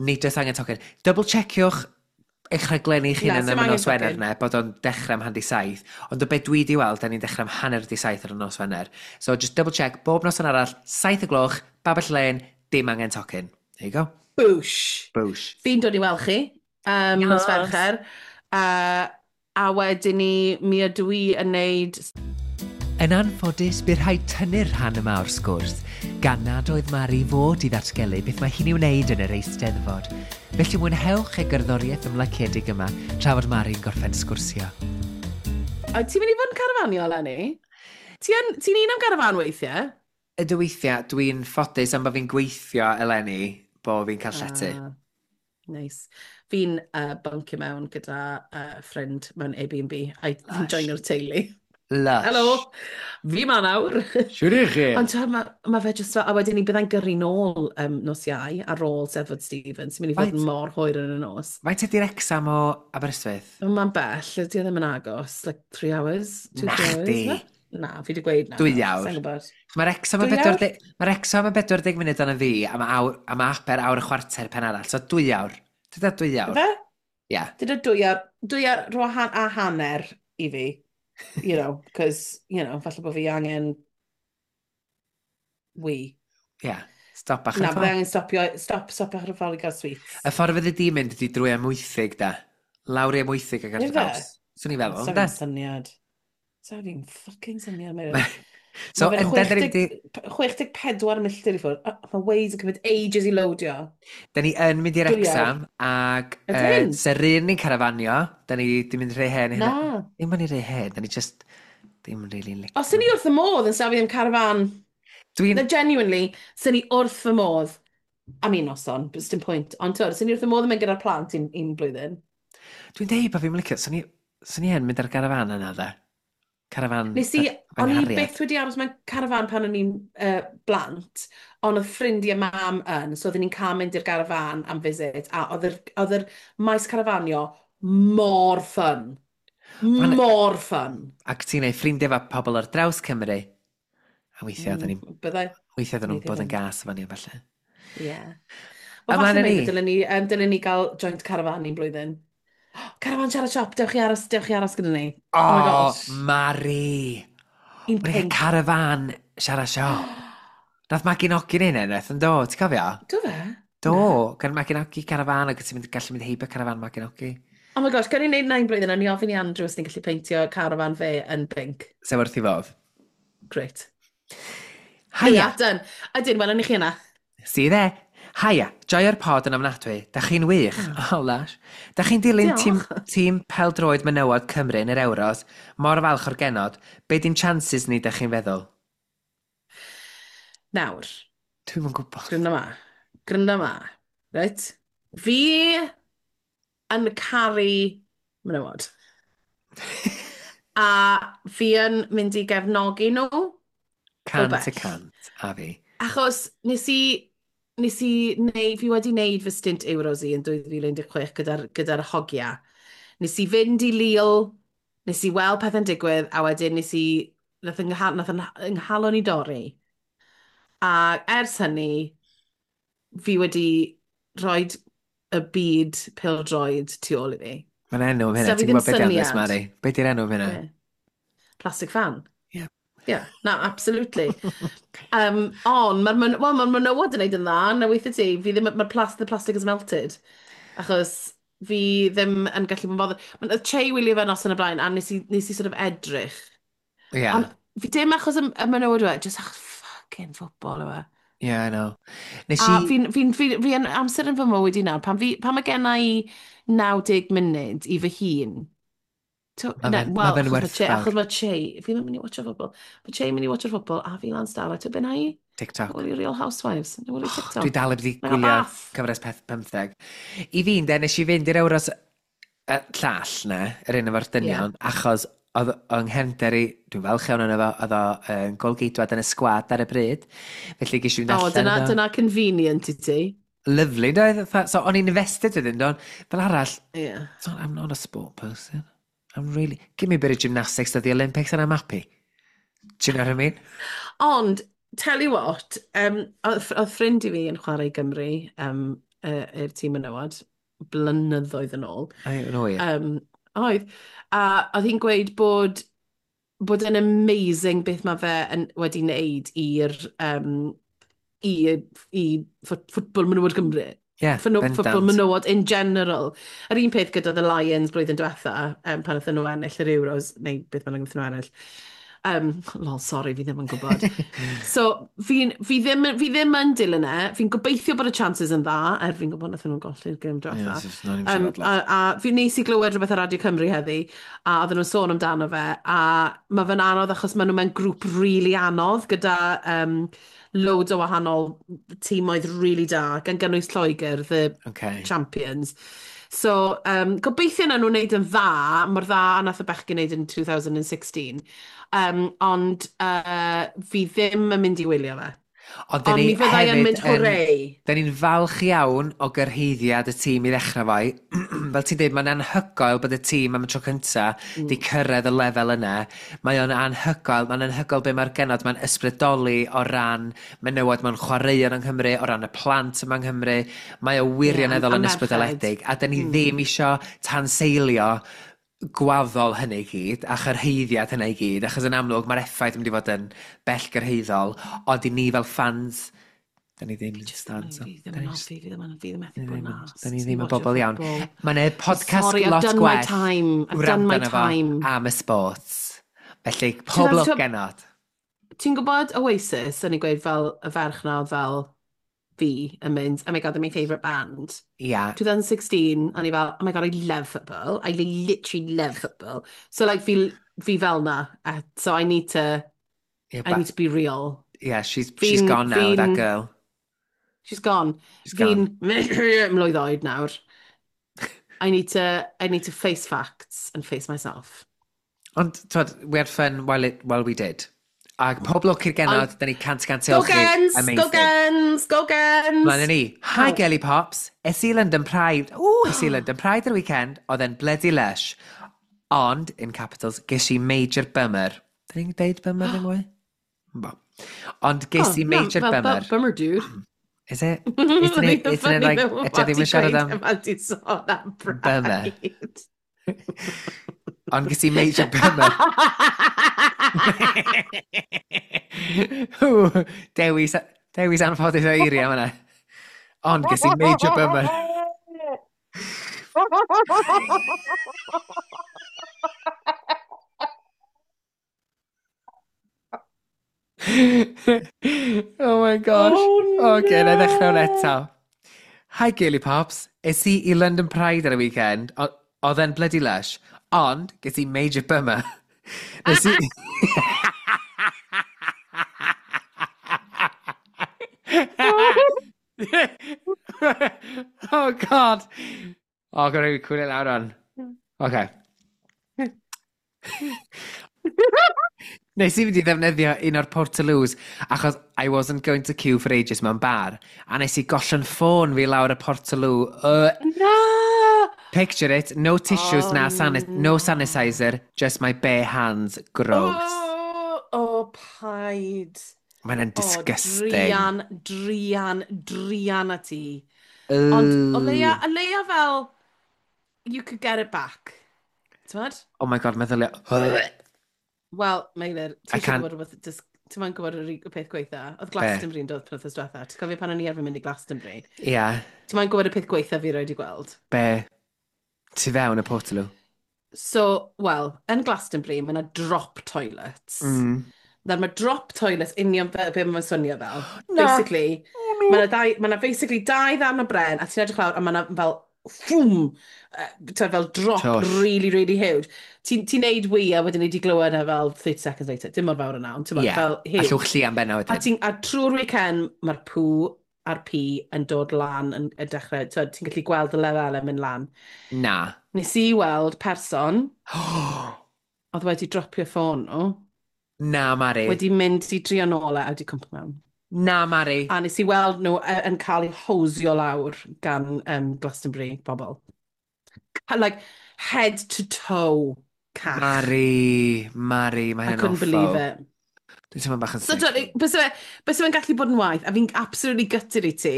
Nid oes angen tocyn. Double checiwch eich rhaglenni eich hunain am y nos Wener ne, bod o'n dechrau am hanner saith. Ond o beth dwi di weld, da ni'n dechrau am hanner di saith ar y nos Wener. So just double check, bob nos yn arall, saith y gloch, Babell Lane, dim angen tocyn. There you go. Bwsh. Bwsh. Fi'n dod i weld chi um, yes. Nos Fercher. Uh, a wedyn ni, mi ydw i yn neud. Yn anffodus, bu rhaid tynnu'r rhan yma o'r sgwrs, gan nad oedd Mari fod i ddatgelu beth mae hi'n ei wneud yn yr Eisteddfod. Felly mwynhewch y gerddoriaeth ymlaciedig yma tra fod Mari'n gorffen sgwrsio. A ti'n mynd i fod yn carafanio, eleni? Ti'n ti un am garafan weithiau? Ydw weithiau, dwi'n ffodus am bod fi'n gweithio eleni, bod fi'n cael llety. Ah, nice. Fi'n uh, buncio mewn gyda uh, ffrind mewn Airbnb. A fi'n joino'r teulu. Lush. Helo, fi ma nawr. Siwr i chi. Ond mae ma fe just fel, a wedyn ni byddai'n gyrru nôl um, nos Iau ar ôl Steddfod Stevens, sy'n mynd i fod Faint- mor hwyr yn y nos. Faint ydy'r Wrecsam o Aberystwyth? Mae'n bell, ydy o ddim yn agos, like three hours, two, three hours. Nachdi. Na? Na, fi wedi gweud na. Dwy awr. Sa'n gwybod. Mae'r Wrecsam yn Dwy bedwar deg- mae'r Wrecsam yn bedwar deg munud arna fi, a mae awr, a mae Aber awr a chwarter pen arall. So dwy awr. Dyda dwy awr. Fe? Ie. Dyda dwy awr, dwy awr rhwa han, a hanner i fi. You know, cos, you know, falle bod fi angen wee. Ie. Stop bach ar Na, y bydde ffordd. angen stopio, stop, stop ar y ffordd i gael sweets. Y ffordd fydde di mynd ydy drwy Amwythig, da. Lawr i Amwythig ac ar Ife? draws. Swn i'n feddwl, Sa'n ynde? syniad. Sa'n i'n fucking syniad, Meirion. So, Mae fe'n ynde, da ni'n mynd i... chwech deg pedwar milltir i ffwrdd. Ah, mae Waze yn cymryd ages i loadio. Da ni yn mynd i'r Dwy awr. Wrecsam, ac uh, Ydyn? Serin ni'n carafanio. Da ni di mynd rhy hen. Na. Ddim yn rhy hen, da ni just ddim yn really licio. Os sy'n ni wrth y modd yn safio ddim carafan. Dwi'n... Na, genuinely, sy'n ni wrth fy modd. Am un noson, but dim pwynt. Ond twr, sy'n ni wrth y modd yn mynd gyda'r plant un, un blwyddyn. Dwi'n deud bod fi'n licio. Swn i, swn i yn mynd ar garafan yna, dde. Carafan Nes i, fy o'n i nghariad. byth wedi aros mewn carafan pan o'n i'n uh, blant, ond oedd ffrindiau mam yn, so oedden ni'n cael mynd i'r garafan am visit, a oedd yr, oedd yr maes carafanio mor fun. Ma'n- Mor fun. Ac ti'n neud ffrindiau efo pobl ar draws Cymru. A weithiau oedden ni'n Mm, Byddai, weithiau oedden nhw'n Weithiau bod yn ddim. gas efo ni a falle. Ie. Wel, Ymlaen falle â maybe ni. dylen ni, um, dylen ni gael joint carafan un blwyddyn. Carafan siarad siop, dewch chi aros, dewch chi aros gyda ni. O, Oh my oh, gosh. Mari! Un Mae'n pink. carafan siarad siop. Nath Magi Nogi neud hynny, nath yn do, ti'n cofio? Do fe? Do, gan Magi Nogi carafan ac ti'n mynd, gallu mynd heibio carafan Magi Nogi. Oh my gosh, gan i wneud nain blwyddyn, a ni ofyn i Andrew os ni'n gallu peintio carafan fe yn pink. Sef wrth i fodd. Great. Haia. Yeah, done. Ydyn, welwn ni chi yna. See you there. Haia, joio'r pod yn ofnadwy. Da chi'n wych. Oh, oh lush. Da chi'n dilyn tîm, tîm peldroed menywod Cymru yn yr Euros. Mor falch o'r genod. Be di'n chances ni, da chi'n feddwl? Nawr. Dwi'm yn gwybod. Grynda ma. Grynda ma. Right? Fi yn caru menywod. A fi yn mynd i gefnogi nhw. Cant y cant, a fi. Achos nes i, nes i, neu, fi wedi wneud fy stint Euros i yn dwy fil un deg chwech gyda'r gyda hogia. Nes i fynd i Lille, nes i weld pethau'n digwydd, a wedyn nes i, nath yng, nath yng nghalon i dorri. A ers hynny, fi wedi rhoi y byd pêl-droed tu ôl i fi. Mae'n enw am hynna, ti'n gwybod beth ydy Mari? Be di'r enw am hynna? Plastic fan. Yeah. Yeah, no, absolutely. um, ond, mae'r well, ma menywod yn neud yn dda, na weithio ti, fi ddim, mae'r plas, the plastic is melted. Achos fi ddim yn gallu bod yn bothered. Mae'n Che wylio fe nos yn y blaen, a nes i, nes i sort of edrych. Yeah. Ond fi dim achos y, y menywod yw e, just achos fucking football yw e. Yeah, I know. Nes A i... fi'n fi, fi, fi yn amser yn fy mywyd i nawr, pan, fi, pan mae gen i naw deg munud i fy hun, Ma' fe'n ma fe'n werthfawr. Achos mae Che, fi ddim yn mynd i watch-o football, mae Che yn mynd i watch-o'r football a fi lan stafell, ti'n beth na i? TikTok. Wylio Real Housewives, neu wylio TikTok. Dwi dal heb di gwylio cyfres peth pymtheg. I fi, de, nes i fynd i'r Euros y llall na, yr un efo'r dynion, yeah. achos oedd yng nghefnder i, dwi'n falch iawn yno fo, oedd o'n golgeidwad yn y sgwad ar y bryd. Felly ges i fynd allan. O, dyna, dyna convenient i ti. Lovely, doedd? So, o'n i'n invested wedyn, don. Fel arall, yeah. So, I'm not a sport person. I'm really... Give me a bit of gymnastics at the Olympics and I'm happy. Do you know what I mean? Ond, tell you what, um, oedd ffrind i fi yn chwarae i Gymru, um, i'r tîm menywod, blynyddoedd yn ôl. Ai, yn oer. Um, oedd. A oedd hi'n gweud bod bod yn amazing beth mae fe yn, wedi wneud i'r um, i, i ffwtbol menywod Cymru. Yeah, Ffwtbol menywod in general. Yr un peth gyda The Lions blwyddyn diwetha, um, pan wnaethon nhw ennill yr Euros, neu beth bynnag wnaethon nhw ennill. Um, lol, sorry, fi ddim yn gwybod. So, fi, fi, ddim, fi ddim yn dilyn e. Fi'n gobeithio bod y chances yn dda, er fi'n gwybod wnaethon nhw'n golli'r gêm diwetha. Yeah, um, a, a fi nes i glywed rhywbeth ar Radio Cymru heddi, a oedden nhw'n sôn amdano fe, a mae fe'n anodd achos maen nhw mewn grŵp really anodd gyda um, loads o wahanol tîmoedd really da, gan gynnwys Lloegr, the okay. champions. So, um, gobeithio na nhw'n neud yn dda, mor dda a nath y bechgyn neud yn two thousand sixteen. Um, ond uh, fi ddim yn mynd i wylio fe. Ond Ond ni mi fyddai yn mynd hooray. Da ni'n falch iawn o gyrhaeddiad y tîm i ddechrau fo. Fel ti'n dweud, mae'n anhygoel bod y tîm am y tro cynta mm. di cyrraedd y lefel yna. Mae o'n anhygoel, mae'n anhygoel be mae'r genod, mae'n ysbrydoli o ran menywod mewn chwaraeon yng Nghymru, o ran y plant yma yng Nghymru. Mae o wirioneddol yeah, yn ysbrydoledig. A da ni mm. ddim isio tanseilio gwaddol hynny i gyd, a chyrhaeddiad hynny i gyd, achos yn amlwg mae'r effaith yn mynd i fod yn bellgyrhaeddol, ond i ni fel fans, da ni ddim yn fans. Fi ddim yn hoffi, fi ddim yn fi ddim methu bod yn arsed. Da ni ddim yn bobl iawn. Mae'n e podcast Sorry, lot I've done gwell my time. I've done my time. Am y sports. Felly, pob lwc genod. Ti'n gwybod Oasis, o'n i'n gweud fel y ferch na oedd fel fi yn mynd, oh my god, they're my favourite band. Yeah. twenty sixteen, o'n i fel, oh my god, I love football. I literally love football. So like, fi, fi fel na. Uh, so I need to, yeah, I need to be real. Yeah, she's, she's gone now, that girl. She's gone. She's gone. Fi'n mlwydd oed nawr. I need to, I need to face facts and face myself. Ond, twod, we had fun while, it, while we did. Ac pob lwc i'r genod, da ni cant cant Go Gens! Go Gens! Go Gens! Mlaen ni. Hi oh. Gelly Pops, es i London Pride. Ooh, es i London Pride yr weekend, oedd e'n bloody lush. Ond, in capitals, ges i major bummer. Da ni'n deud bummer ddim mwy? Bo. Ond ges i oh, major no, bummer. Bummer dude. Is it? Isn't it, isn't it like, ydy ddim yn siarad am... Bummer. Ond ges i major bummer. Dewis, dewis anffodus o eiriau yma. Ond ges i major bummer. Oh my gosh. Oh, Oce, na i ddechrau hwn no! eto. Hi Girly Pops. Es i i London Pride ar y weekend. O- Oedd e'n bloody lush. Ond, ges i major bummer. Nes i... Oh God. Oh, gwrdd i cwylio lawr on. Okay. Nes i fynd i ddefnyddio un o'r Portaloos achos I wasn't going to queue for ages mewn bar. A nes i gollon ffôn fi lawr y Portaloo. Uh, Na! Picture it, no tissues Oh, na sanis no sanitizer, just my bare hands. Gross. Oh, oh paid. Mae'n Oh, disgusting. druan, druan, druan a ti. Ond o leia, o leia fel, you could get it back. T'mod? Oh my God, meddylia. Wel, Meilir, ti I eisiau can't- gwybod rhywbeth, dis- ti'n ma'n gwybod yr y peth gweitha? Oedd Glastonbury yn dod penwythnos diwetha. Ti'n cofio pan o'n i arfer mynd i Glastonbury? Ie, yeah, Ti'n ma'n gwybod y peth gweitha fi roed i gweld? be? Tu fewn y Portaloo. So, wel, yn Glastonbury, mae yna drop toilets. Mm. Nawr, mae drop toilets union fel be mae'n swnio fel. Na. Basically, Oh, mae yna dau, mae yna basically dau ddarn o bren, a ti'n edrych lawr, a mae yna fel ffwm, uh, fel drop Twll. really, really huge. Ti'n ti neud wee a wedyn ni di glywed e fel thirty seconds later. Dim mor fawr yna, ond ti'n Ie, yeah. fel A huge. llwch llian benna A, wedyn. ti'n, a trwy'r weekend, mae'r pŵ a'r pi yn dod lan yn, yn dechrau. T'wod, ti'n gallu gweld y lefelau mynd lan. Na. Nes i weld person oedd wedi dropio ffôn nhw, Na, Mari. wedi mynd i drio nôl e a wedi cwmpo mewn. Na, Mari. A nes i weld nhw yy, yn cael eu hosio lawr gan um, Glastonbury bobl. Ca- Like, head to toe cach. Mari, Mari, mae I hynny'n couldn't awful. believe it. Dwi'n teimlo bach yn So, sick. do- byse fe, byse fe'n gallu bod yn waith, a fi'n absolutely gutted i ti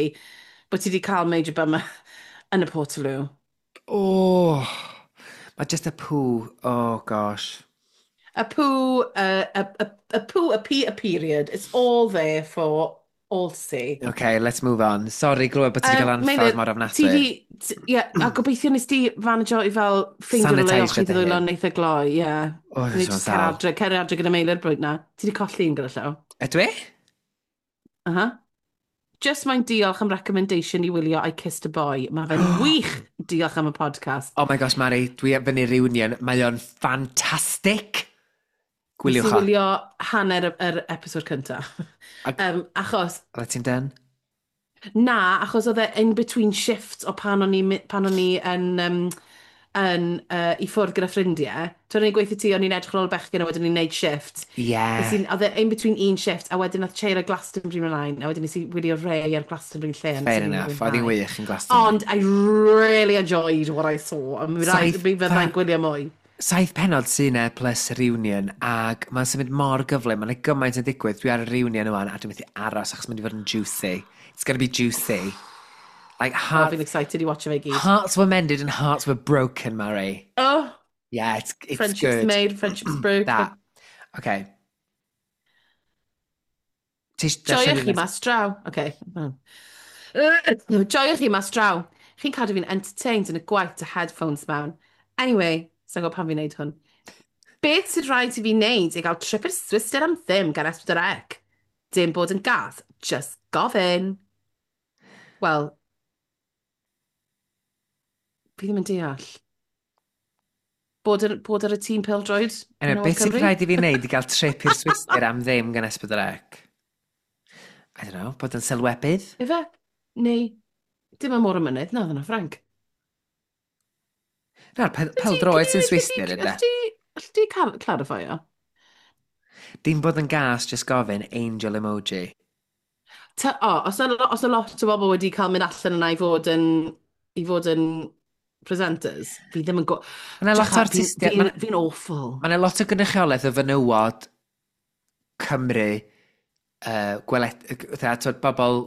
bod ti wedi cael major bummer yn y Portaloo. Oh, mae just y poo. Oh, gosh. A poo, uh, a, a, a poo, a pee, a period. It's all there for all to see. Okay, let's move on. Sorry, glywed bod ti wedi Yym, cael anffawd Meilir, mor Ti ofnadwy. di, t- ie, a gobeithio nes di fanajo i fel ffeindio rhywle i Sanitiseio olchi dy dy ddwylo hun. yn eitha gloi, ie. O, Neu dwi'n jyst cer sâl. adre, cer adre gyda Meilir brwyd na. Ti di colli un gyda llaw. Ydw i? Aha. Just mae'n diolch am recommendation i wylio I Kissed a Boy. Mae fe'n wych diolch am y podcast. Oh my gosh, Mari, dwi ar fyny reunion. Mae o'n ffantastig. Gwyliwch Nes i o. wylio hanner y- yr episod cyntaf. Ac- Um, achos, Oeddet ti'n done? na, achos oedd e in between shifts o pan o'n i, mi- pan o'n i yn, um, yn uh, i ffwrdd gyda ffrindiau. Tw'n o'n i'n gweithio ti, o'n i'n edrych ar ôl y bechgyn a wedyn o'n i'n neud shift. Yeah. Nes i, oedd e in between un shift, a wedyn nath Cheira Glastonbury ymlaen, a wedyn nes i wylio Ray ar Glastonbury lle. a nes i Fair rili enough. Oedd hi'n fwynhau. wych yn Glastonbury. Ond I really enjoyed what I saw. A mi Saith mi fyddai'n pa- gwylio mwy. Saith penod sy'n e plus reunion, ac mae'n symud mor gyflym, mae'n gymaint yn digwydd. Dwi ar y reunion yma, a dwi'n methu aros achos mae'n mynd i fod yn juicy. It's gonna be juicy. Like, Oh, heart, fi'n excited i watch fe i gyd. hearts were mended and hearts were broken, Mary. Oh, Yeah, it's, it's friendships good. made, friendships broken. That. Okay. Ti isio darllen Joiwch un chi nes- mas draw. Okay. Joiwch chi mas draw. Chi'n cadw fi'n entertained yn y gwaith dy headphones mewn. Anyway, sa'n gwybod pam fi'n neud hwn. Beth sydd rhaid i fi wneud i gael trip i'r Swistir am ddim gan S pedwar C? Dim bod yn gas, just gofyn. Wel, fi ddim yn deall. Bod ar, bod ar y tîm pêl-droed? Anyway, menywod beth sydd Cymru? rhaid i fi wneud i gael trip i'r Swistir am ddim gan S pedwar C? I don't know, bod yn sylwebydd? Ife? Neu, dim am môr y mynydd, na, oedd yna Ffranc. Na'r pe- pêl-droed sy'n Swistir, ynddo? Alli di cal- clarify-o? Dim bod yn gas, just gofyn, angel emoji. Ta, o, os yna os yna lot o bobl wedi cael mynd allan yna i fod yn, i fod yn presenters, fi ddim yn go... Mae 'na lot o Drycha, fi'n artistiaid... fi, Mae fi'n awful. 'na lot o gynrychiolaeth o fenywod Cymru, uh, gweled, fatha, twod, bobl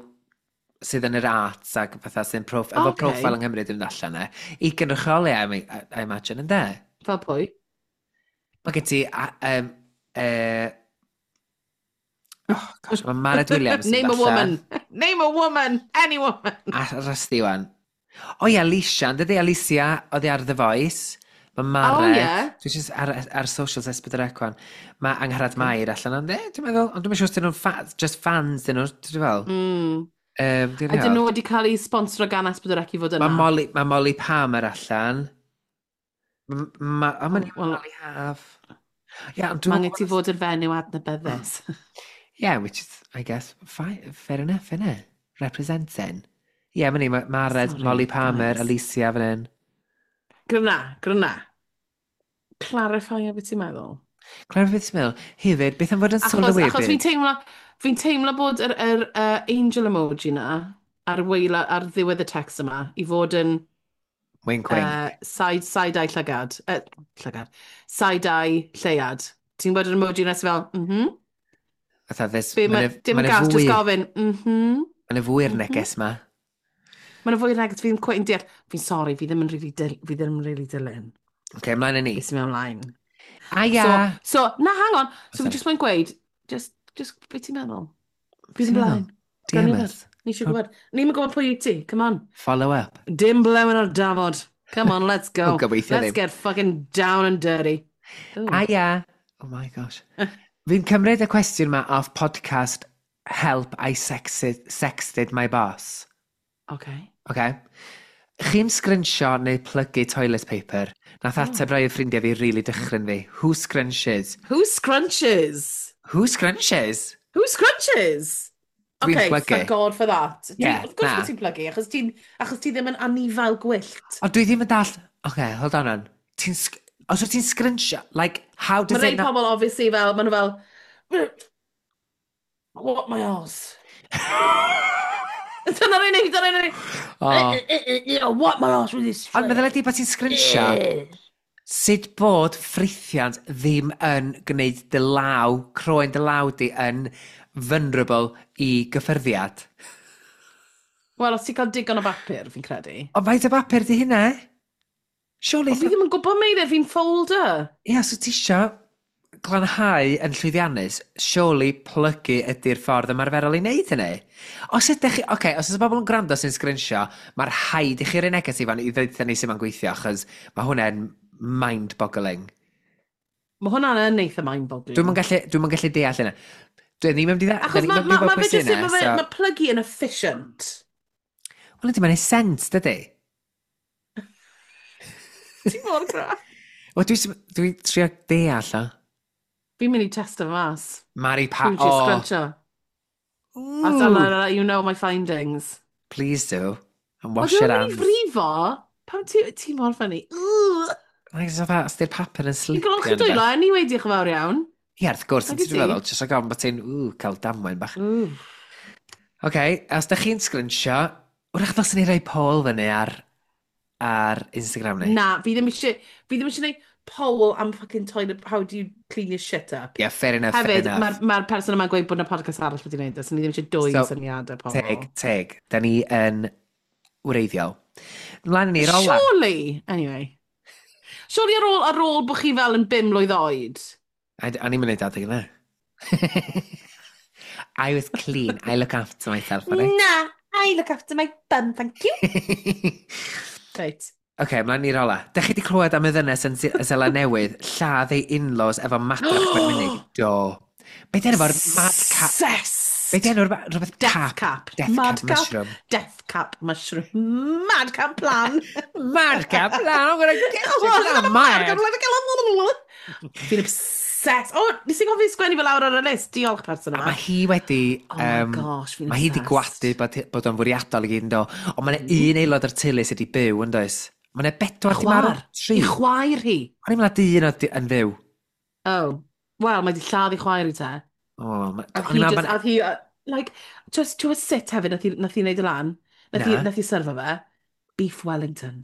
sydd yn yr arts ac fatha sy'n proff, efo Ocê. profile yng Nghymru ddim allan e, i gynrychioli, I, I, I imagine, ynde? Fel pwy? Mae gen ti, a- um, uh, oh gosh, mae Mared Williams yn Name a dod allan. woman. Name a woman. Any woman. A Rusty wan. O ie, Alicia, yn dydi Alicia, oedd hi ar The Voice. Mae Mared. Oh, ie. Dwi jyst ar, ar socials S pedwar C wan. Mae Angharad Mair allan, ond e, dwi'n meddwl, ond dwi'n siŵr os dyn nhw'n fa just fans dyn nhw, dwi'n fel. Mm. Um, Ydyn nhw wedi cael eu sponsro gan S pedwar C i fod yna? Mae Molly, mae Molly Palmer allan. Ma, o, mae'n Wel- Molly Haf. Yeah, ond dwi'n Mae angen ti fod yn fenyw adnabyddus. Yeah, which is, I guess, fine, fair enough, innit? Representing. Yeah, mae'n ni, mae Mared, Sorry, Molly Palmer, guys. Alicia fan hyn. Gryna, gryna. Clarify o beth ti'n meddwl. Clarify beth ti'n meddwl. Hefyd, beth am fod yn Achos, sylwebydd? achos fi'n teimlo, fi'n teimlo bod yr, yr uh, angel emoji na ar, weila, ar ddiwedd y text yma i fod yn Wink, wink. uh, side, side-eye llygad. Uh, llygad. Side-eye lleuad. Ti'n gwybod yr emoji na sy'n fel, mhm. Fatha, this, Be ma, ma' 'na- dim ma' yn 'na gas, fwy- just gofyn, mhm. Ma' 'na fwy'r Mhm. neges ma. Mae'n fwy neges, fi'n quite yn deall. Fi'n sorry, fi ddim yn really, dil, fi ddim yn really dilyn. Oce, ymlaen â ni. Beth sy'n mynd ymlaen. A ia! So, so, na, hang on. So, Sorry. fi just moyn gweud, just, just, beth ti'n meddwl? Be Fi ti'n ddim meddwl? ymlaen. Gawn D M ni us. Ni eisiau gwybod. Ni'n gwybod pwy wyt ti. Come on. Follow up. Dim blewyn ar dafod. Come on, let's go. O, gobeithio Let's ddim. get fucking down and dirty. Ooh. A ia! Oh my gosh. Fi'n cymryd y cwestiwn ma off podcast Help I Sexted, Sexted My Boss. Okay. Okay. Chi'n sgrinsio neu plygu toilet paper? Nath ateb rai o ffrindiau fi really dychryn fi. Who scrunches? Who scrunches? Who scrunches? Who scrunches? Dwi'n Okay, plygu. thank God for that. Dwi, Yeah, of course na. bod ti'n plygu, achos ti'n achos ti ddim yn anifail gwyllt. Ond dwi ddim yn dall. Okay, hold on on. Ti'n... sg- Os wyt ti'n sgrinsio, like, how does Mae rei it not pobl obviously fel, maen nhw fel, "What my arse?" Dyna'r unig, dyna'r unig. Oh. "What my arse with this." Ond meddwl ydi bod ti'n sgrinsio, sut bod ffrithiant ddim yn gwneud dy law, croen dy law di yn vulnerable i gyffyrddiad? Wel, os ti'n cael digon o bapur, fi'n credu. Ond faint o bapur di hynna? Surely. Ond fi ddim yn gwybod, Meilir, fi'n folder. Ia, so ti isio glanhau yn llwyddiannus, surely plygu ydy'r ffordd ymarferol i wneud hynny. Os ydych chi, oce, okay, os oes bobl yn gwrando sy'n sgrinsio, mae'r rhaid i chi roi neges i fan i ddweud ni sut mae'n gweithio, achos mae hwnna'n mind-boggling. Mae hwnna'n yn eitha mind-boggling. Dwi'm yn gallu, dwi'm yn gallu deall hynna. Dwi ddim yn mynd i Achos mae ma, ma, fe jyst, ma, fe, ma plygu yn efficient. Wel, ydy, mae'n neud sens, dydy? Ti'n mor graff. Wel, dwi'n dwi trio deall o. Fi'n mynd i testo fe mas. Mari Pa. Pwy ti'n Oh. scruncho? I'll Ooh. let you know my findings. Please do. And Wel, wash dwi'n your mynd i hands. frifo. Pam ti, ti mor funny? Ugh. Like, so fa, os di'r papur yn Fi'n slipio. golchi yn dwylo beth. anyway, diolch yn fawr iawn. Ie, wrth gwrs, Nag ti'n wyt ti? meddwl, jyst rhag ofn bod ti'n, ww, cael damwain bach. Ooh. Oce, os da chi'n sgrinsio, wrach ddylswn ni roi poll fyny ar, ar Instagram ni. Na, fi ddim eisiau, fi ddim eisiau gwneud poll am fucking toilet, how do you clean your shit up. Yeah, fair enough, fair Hefyd, enough. mae'r ma person yma'n gweud bod yna podcast arall wedi gwneud, so ni ddim eisiau dwy So, syniadau pobl. Teg, teg. Da ni yn wreiddiol. Ymlaen ni, rola. Surely, anyway. Surely ar ôl, ar ôl bod chi fel yn bum mlwydd oed. A a ni'n mynd adeg yna. I was clean. I look after myself, right? Na, I look after my bum, thank you. Right. Oce, okay, ymlaen i'r ola. Dych chi wedi clywed am y ddynes yn Ze- Seland Newydd lladd ei in-laws efo madrach gwenwynig? Do. Be di enw fo'r mad cap? Obsessed. Be di enw'r rhywbeth Death cap? cap. Death Mad cap mushroom. Death cap mushroom. Mad cap plan. Mad cap plan. I'm gonna get you. I'm mad. Fi'n obsessed. O, nes i gofio sgwennu fel lawr ar y list. Diolch, person A yma. mae hi wedi Oh my Um, gosh, fi'n mae hi wedi obsessed. gwadu bod, bod o'n fwriadol i gyd yn do. Ond mae'n un aelod o'r teulu sydd wedi byw yn does? Mae'n bedwar di marw. Chwaer. Tri. I chwaer hi. O'n i'n meddwl dyn oedd yn fyw. Oh. Wel, mae di lladd i chwaer i te. O, ma- A o'n hi i'n meddwl just, bod- a hi, uh, like, just, ti'n gwybod sut hefyd nath hi, nath hi wneud y lan? Nath hi, Na. nath hi syrfo fe? Beef Wellington.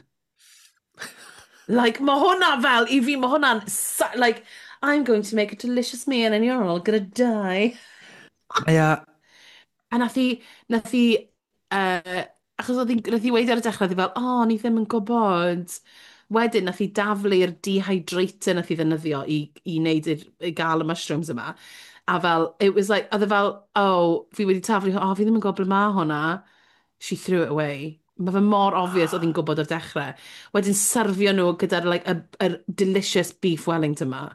Like, mae hwnna fel, i fi, mae hwnna'n, sa- like, "I'm going to make a delicious meal and you're all gonna die." Mae o A nath hi, nath hi, uh, achos oedd hi, nath hi weud ar y dechrau, oedd hi fel, "Oh, ni ddim yn gwybod." Wedyn, nath hi daflu'r dehydrator nath hi ddefnyddio i, i wneud yr, i gael y mushrooms yma. A fel, it was like, oedd e fel, "Oh, fi wedi taflu, oh, fi ddim yn gwybod ble mae hwnna." She threw it away. Mae fe mor obvious oedd hi'n gwybod o'r dechrau. Wedyn syrfio nhw gyda'r like, y, y delicious beef Wellington ma.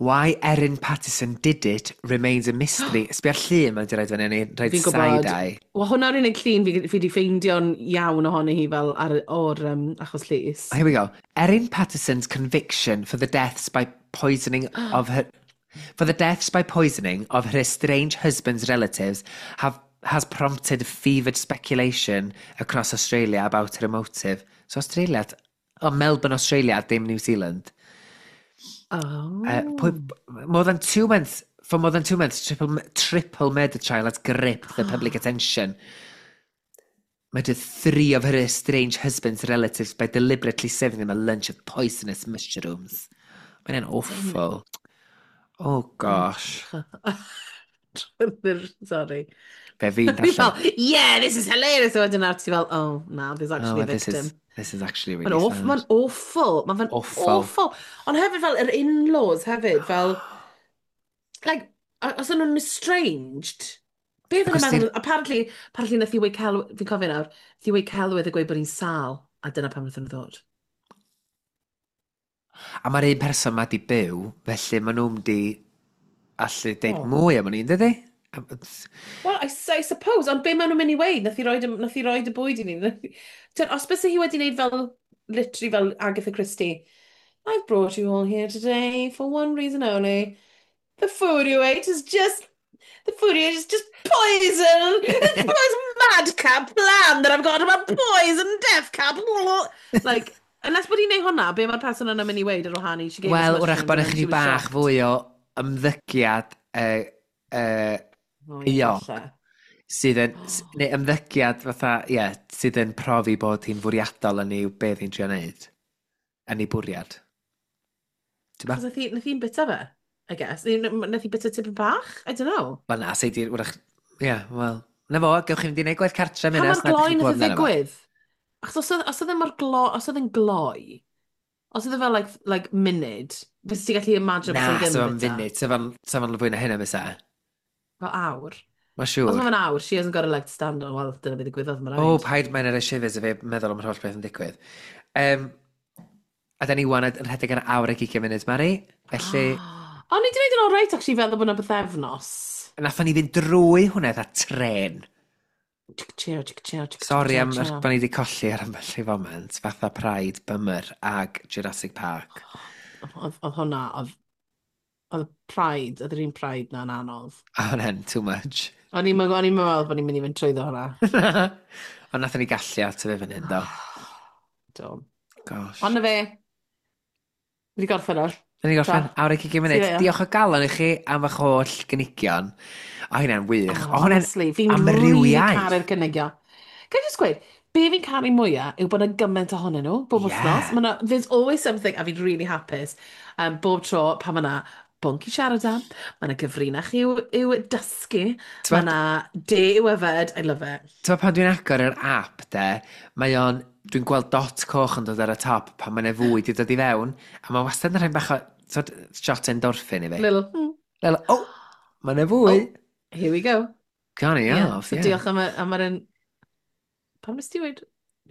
Why Erin Patterson did it remains a mystery. Sbia'r llun mae'n di roid fyny, ni roid Fi'n gwybod. side-eye. Wel, hwnna'r unig llun fi, fi di ffeindio'n iawn ohoni hi fel ar, o'r um, achos llys. Here we go. Erin Patterson's conviction for the deaths by poisoning of her for the deaths by poisoning of her estranged husband's relatives have has prompted fevered speculation across Australia about her motive. So Australia, oh, Melbourne, Australia, dim New Zealand. Oh. Uh, pwy, more than two months, for more than two months, triple, triple murder trial has gripped the public attention. Murdered three of her estranged husband's relatives by deliberately serving them a lunch of poisonous mushrooms. Mae'n awful. Oh gosh. Sorry. Be fi'n Fi darllen. fel, yeah, this is hilarious. A wedyn nawr ti fel, oh, no, there's actually Oh, a this victim. is, this is actually really Mae'n awful, sad. mae'n awful. Mae'n fe'n Awful. awful. Ond hefyd fel yr in-laws hefyd, fel, like, o- os o'n nhw'n estranged, be oedd yn Achos meddwl, apparently, apparently nath i weud cel, fi'n cofio nawr, nath i weud celwydd a gweud bod hi'n sâl, a dyna pam nath nhw ddod. A mae'r un person ma di byw, felly maen nhw'n di allu deud Oh. mwy am hynny, dydy? Well, I, I suppose, ond be maen nhw'n mynd i weud? Nath i roid, y- nath i roid y bwyd i ni. Tyd, os byse hi wedi wneud fel, literally fel Agatha Christie, I've brought you all here today for one reason only. The food you ate is just, the food you ate is just poison. It's the most madcap plan that I've got about poison death cap. Like, unless bod hi'n neud hwnna, be mae'r person yna'n mynd i weud ar wahân i? She gave us Wel, wrach mushrooms bod and then ychydig she was bach shocked. fwy o ymddygiad uh, uh, Oh, ie, euog, falle. sydd yn, s- neu ymddygiad fatha, ie, yeah, sydd yn profi bod hi'n fwriadol yn ei beth hi'n trio wneud. Yn ei bwriad. Ti'n ba? Achos nath hi, nath hi'n bita fe, I guess. Neu Nath hi bita tipyn bach? I don't know. Wel na, sei di, wrach, ie, yeah, wel. Na fo, gewch chi fynd i wneud gwaith cartre Pa mynd mor gloi nath o ddigwydd? Achos os oedd, os oedd e mor glo, os oedd e'n gloi, os oedd e fel like, like munud, fysa ti gallu imagine Na, bysa hi ddim sef yn am bita. funud, sef am, sef am fwy na hynna fysa. Fel awr. Mae Os siŵr. mae'n awr, she hasn't got a leg to stand on. Wel, dyna beth ddigwyddodd, mae'n O, rhaid. paid mae'n ar y shivers y fe meddwl am yr holl beth yn digwydd. Um, a da ni wan yn rhedeg ar awr ag ugain munud, Mari. Felly, Ond ni wedi gwneud yn alright, actually, feddwl bod yna bythefnos. nathon ni fynd drwy hwnna dda tren. Chick cheer, chick cheer, chick Sori cheer, am cheer. bod ni wedi colli ar ambell i foment, fatha Pride, Bummer ag Jurassic Park. Oedd oedd hwnna, oedd oedd Pride, oedd yr un Pride na'n anodd. A hwnna'n too much. O'n i'n o'n i'n meddwl bod ni'n mynd i fynd trwyddo hwnna. Ond nathon ni gallu at y fe fan hyn, do. Do. Gosh. Ond na fe, wedi gorffen nawr. Da ni gorffen Ta. awr ag ugain munud. See you later. Diolch o galon i chi am eich holl gynigion. O, hynna'n wych. Oh, O, hwnna'n honestly, fi'n really amrywiaeth. caru'r cynigion. Ga i just gweud, be fi'n caru mwyaf yw bod yna gymaint ohonyn nhw, bob Ie. wythnos. Ma' 'na, there's always something, a fi'n really hapus, um, bob tro pan mae yna bwnc i siarad am, mae yna gyfrinach i'w, i'w dysgu, T'mod- mae yna de i'w yfed, I love it. Ti'n pan dwi'n agor yr app, de, mae o'n, dwi'n gweld dot coch yn dod ar y top pan mae'n fwy di dod i fewn, a mae wastad yn rhaid bach o sort, shot endorphin i fi. Little, mm, Little, oh, mae'n fwy. Oh, here we go. Gone Yeah, off, so yeah. diolch am, y- am yr un... Pam nes ti weud...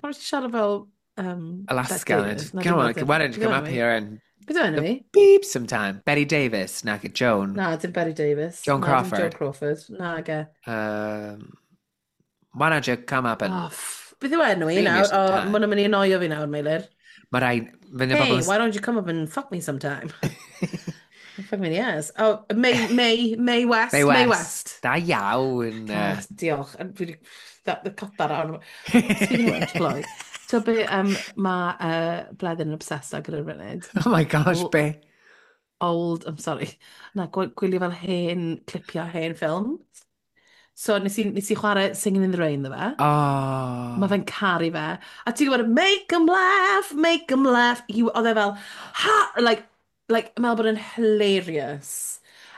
Pam nes ti siarad fel... Um, Alaska. Bette Davis? Na, Come on, dim Bette- why don't you beth come yw up enw hi? here and Beth yw enw hi? beep sometime? Betty Davis, na, Joan. Na, dim Betty Davis. Joan Na, dim Crawford. Joan Crawford. Na, ge. Um, why don't you come up and... Oh, ff- beth yw enw hi Beep me nawr? O, sometime. ma' nhw'n mynd i annoio fi nawr, Meilir. Mae rai... Fydd y Hey, bobl... why don't you come up and fuck me sometime? Fuck me in the ass. Oh, Mae, Mae, Mae West. Mae Mae West. West. Da iawn. Oh, diolch. And Fi wedi... That, the cut that out. Speaking of which, Chloe. So be, um, mae uh, Bleddyn yn obsessed ag ar y funud. Oh my gosh, Old, be? old, I'm sorry. Na, gwy- gwylio fel hen clipio hen ffilm. So nes i, nes i chwarae Singing in the Rain ddo fe. Oh. Mae fe'n caru fe. A ti'n gwybod, make 'em laugh, make 'em laugh. He, oedd e fel, ha, like, like, meddwl bod yn hilarious.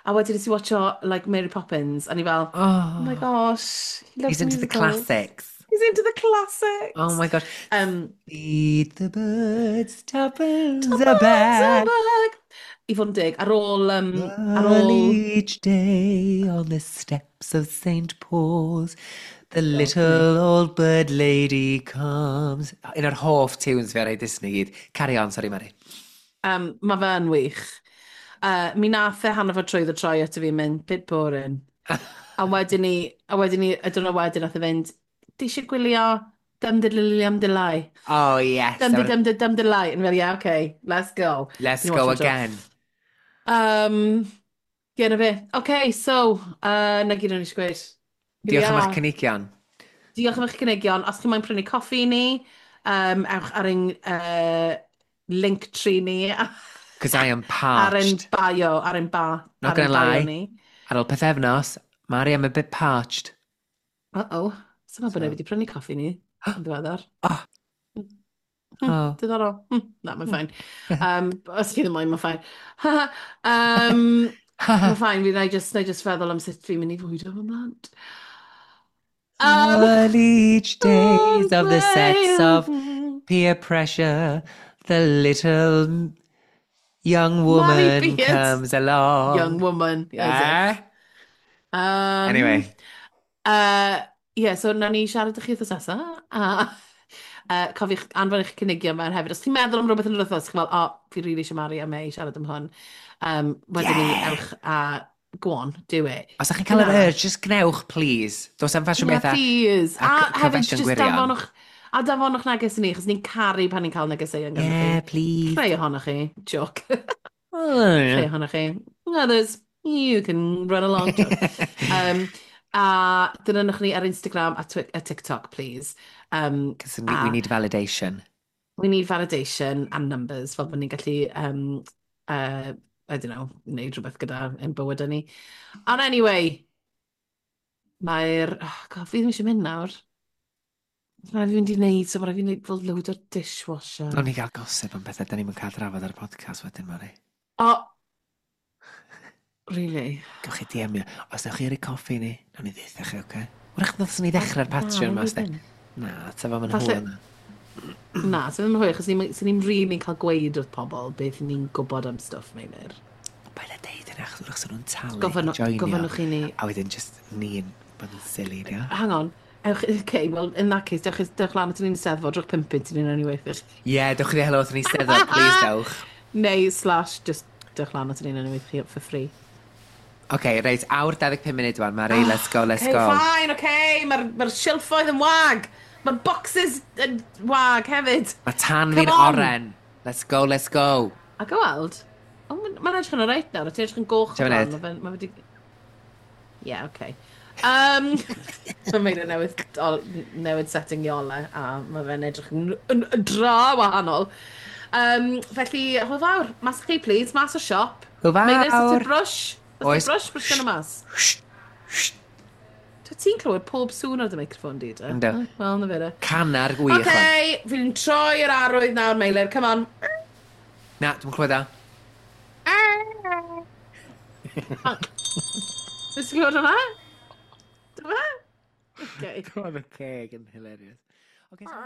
A wedyn nes i watcho, like, Mary Poppins, a ni fel, oh my Oh. gosh, he loves He's into the musicals. classics. He's into the classics. Oh my gosh. Um, Feed the birds, tuppence a Tuppence a bag. bag. I fod yn deg, ar ôl... Um, ar Early ôl... each day on the steps of Saint Paul's, the God, little old bird lady comes. Un o'r hoff tunes fi ar ei Disney gyd. Carry on, sorry Mari. Um, mae fe yn wych. Uh, mi nath e hanner ffordd trwy troi ato fi yn mynd, "Bit boring." A wedyn ni, a wedyn ni, y diwrnod wedyn nath e fynd, "Di eisiau gwylio Dum Diddly Dum Dilai?" Oh yes. Dum Dum Dum Dum Dilai. And fel, "Yeah, okay, let's go." Let's Ni'n go watcho. Again. Um, yeah, na fe. Okay, so, uh, na gyd o'n eisiau gweud. Here we Diolch am eich are. cynigion. Diolch am eich cynigion. Os chi'n moyn prynu coffi i ni, um, ewch ar ein uh, link tree ni. Because I am Ar ein parched. bio, ar ein ba, Not ar ein gonna bio lie. ni. Ar ôl pethefnos, Mari, I'm a bit parched. Uh-oh. Sa'n meddwl bod So. neb wedi prynu coffi ni yn ddiweddar. Oh. Hmm, Oh. Diddorol. Hmm, Na, mae'n fine. Um, os chi ddim moyn, mae'n fine. um, mae'n fine, fi na i just, na i just feddwl am sut fi'n mynd i fwydo fy mhlant. Um, All each days of the sets of peer pressure, the little young Mari woman Beard. comes along. Young woman. As if. Eh? Um, Anyway. Uh, yeah, so na ni siarad â chi wythnos nesa. A uh, cofiwch anfon eich cynigion mewn hefyd. Os chi'n meddwl am rhywbeth yn yr wythnos, chi'n fel, "O, oh, fi really eisiau Mari a May siarad am hwn." Um, wedyn ni Yeah. ewch a go on, do it. Os ydych chi'n cael yr Dyna. urge, just gnewch, please. Does am ffasiwn Yeah, bethau. please. A A c- hefyd, confession just gwirion. danfonwch, a danfonwch neges i ni, achos ni'n caru pan ni'n cael negeseuon ganddo Yeah, chi. please. Rhai ohonoch chi. Joke. Oh, Rhai ohonoch chi. Others, you can run along. Joke. Um, a dilynwch ni ar Instagram a, Twi a TikTok, please. Um, Because we, we a need validation. We need validation and numbers, fel bod ni'n gallu, um, uh, I don't know, wneud rhywbeth gyda ein bywydau ni. Ond anyway, mae'r... Oh God, fi ddim eisiau mynd nawr. Mae rhaid fi mynd i wneud, so mae rhaid fi wneud fel load o dishwasher. Nawn ni gael gossip am bethau, da ni'n cael drafod ar y podcast wedyn, Mari. O, really? Gewch chi D M-io. Os ewch chi ar y coffi ni, nawn ni ddeutha chi, oce? Wrach ddylswn ni ddechrau'r Patreon Na, ma, fi sti. ddim. Na, ta fo ma'n Falle- hwyl na. Na, so ddim yn hwyl, achos ni'n ni'n really cael gweud wrth pobl beth ni'n gwybod am stwff, Meilir. Paid â deud yna, achos wrach nhw'n talu i Gofyn- joinio. Gofynnwch i ni. A wedyn just ni'n bod yn silly, dio. Hang on. Ewch, okay, well, in that case, dewch, dewch lan at ni'n steddfod, rhowch pump punt i ni'n anyway. Ie, Ie, yeah, dewch i helo wrth ni steddfod, please dewch. Neu slash, just dewch lan at ni'n anyway for free. Oce, okay, reit, awr dau ddeg pump munud wan, Mari, let's go, let's Okay, go. Fine, okay. Mae'r ma silffoedd yn wag. Mae'r boxes yn wag hefyd. Mae tan Come fi'n on. oren. Let's go, let's go. A go weld. Oh, mae'n edrych yn alright nawr. Ti'n edrych yn goch. Ti'n o blaen. munud? Ma' fe- Ma wedi... Yeah, okay. Um, mae Meilir newydd, o, newid setting i ole, a mae fe'n edrych yn, yn, yn dra wahanol. Um, felly, hwyl fawr. Mas chi, please. Mas o siop. Hwyl fawr. Meilir, sut ti'n brush? Oes. Oes. Brush, brush yn y mas. Dwi ti'n clywed pob sŵn ar dy microffon di, de? Yndw. Oh, wel, na fe de. Canar gwych. Oce, okay, fi'n troi yr arwydd nawr, Meilir. Come on. Na, dwi'n clywed o. Nes ti'n clywed hwnna? Dyma? Okay. Roedd y ceg yn hilarious. Okay, so...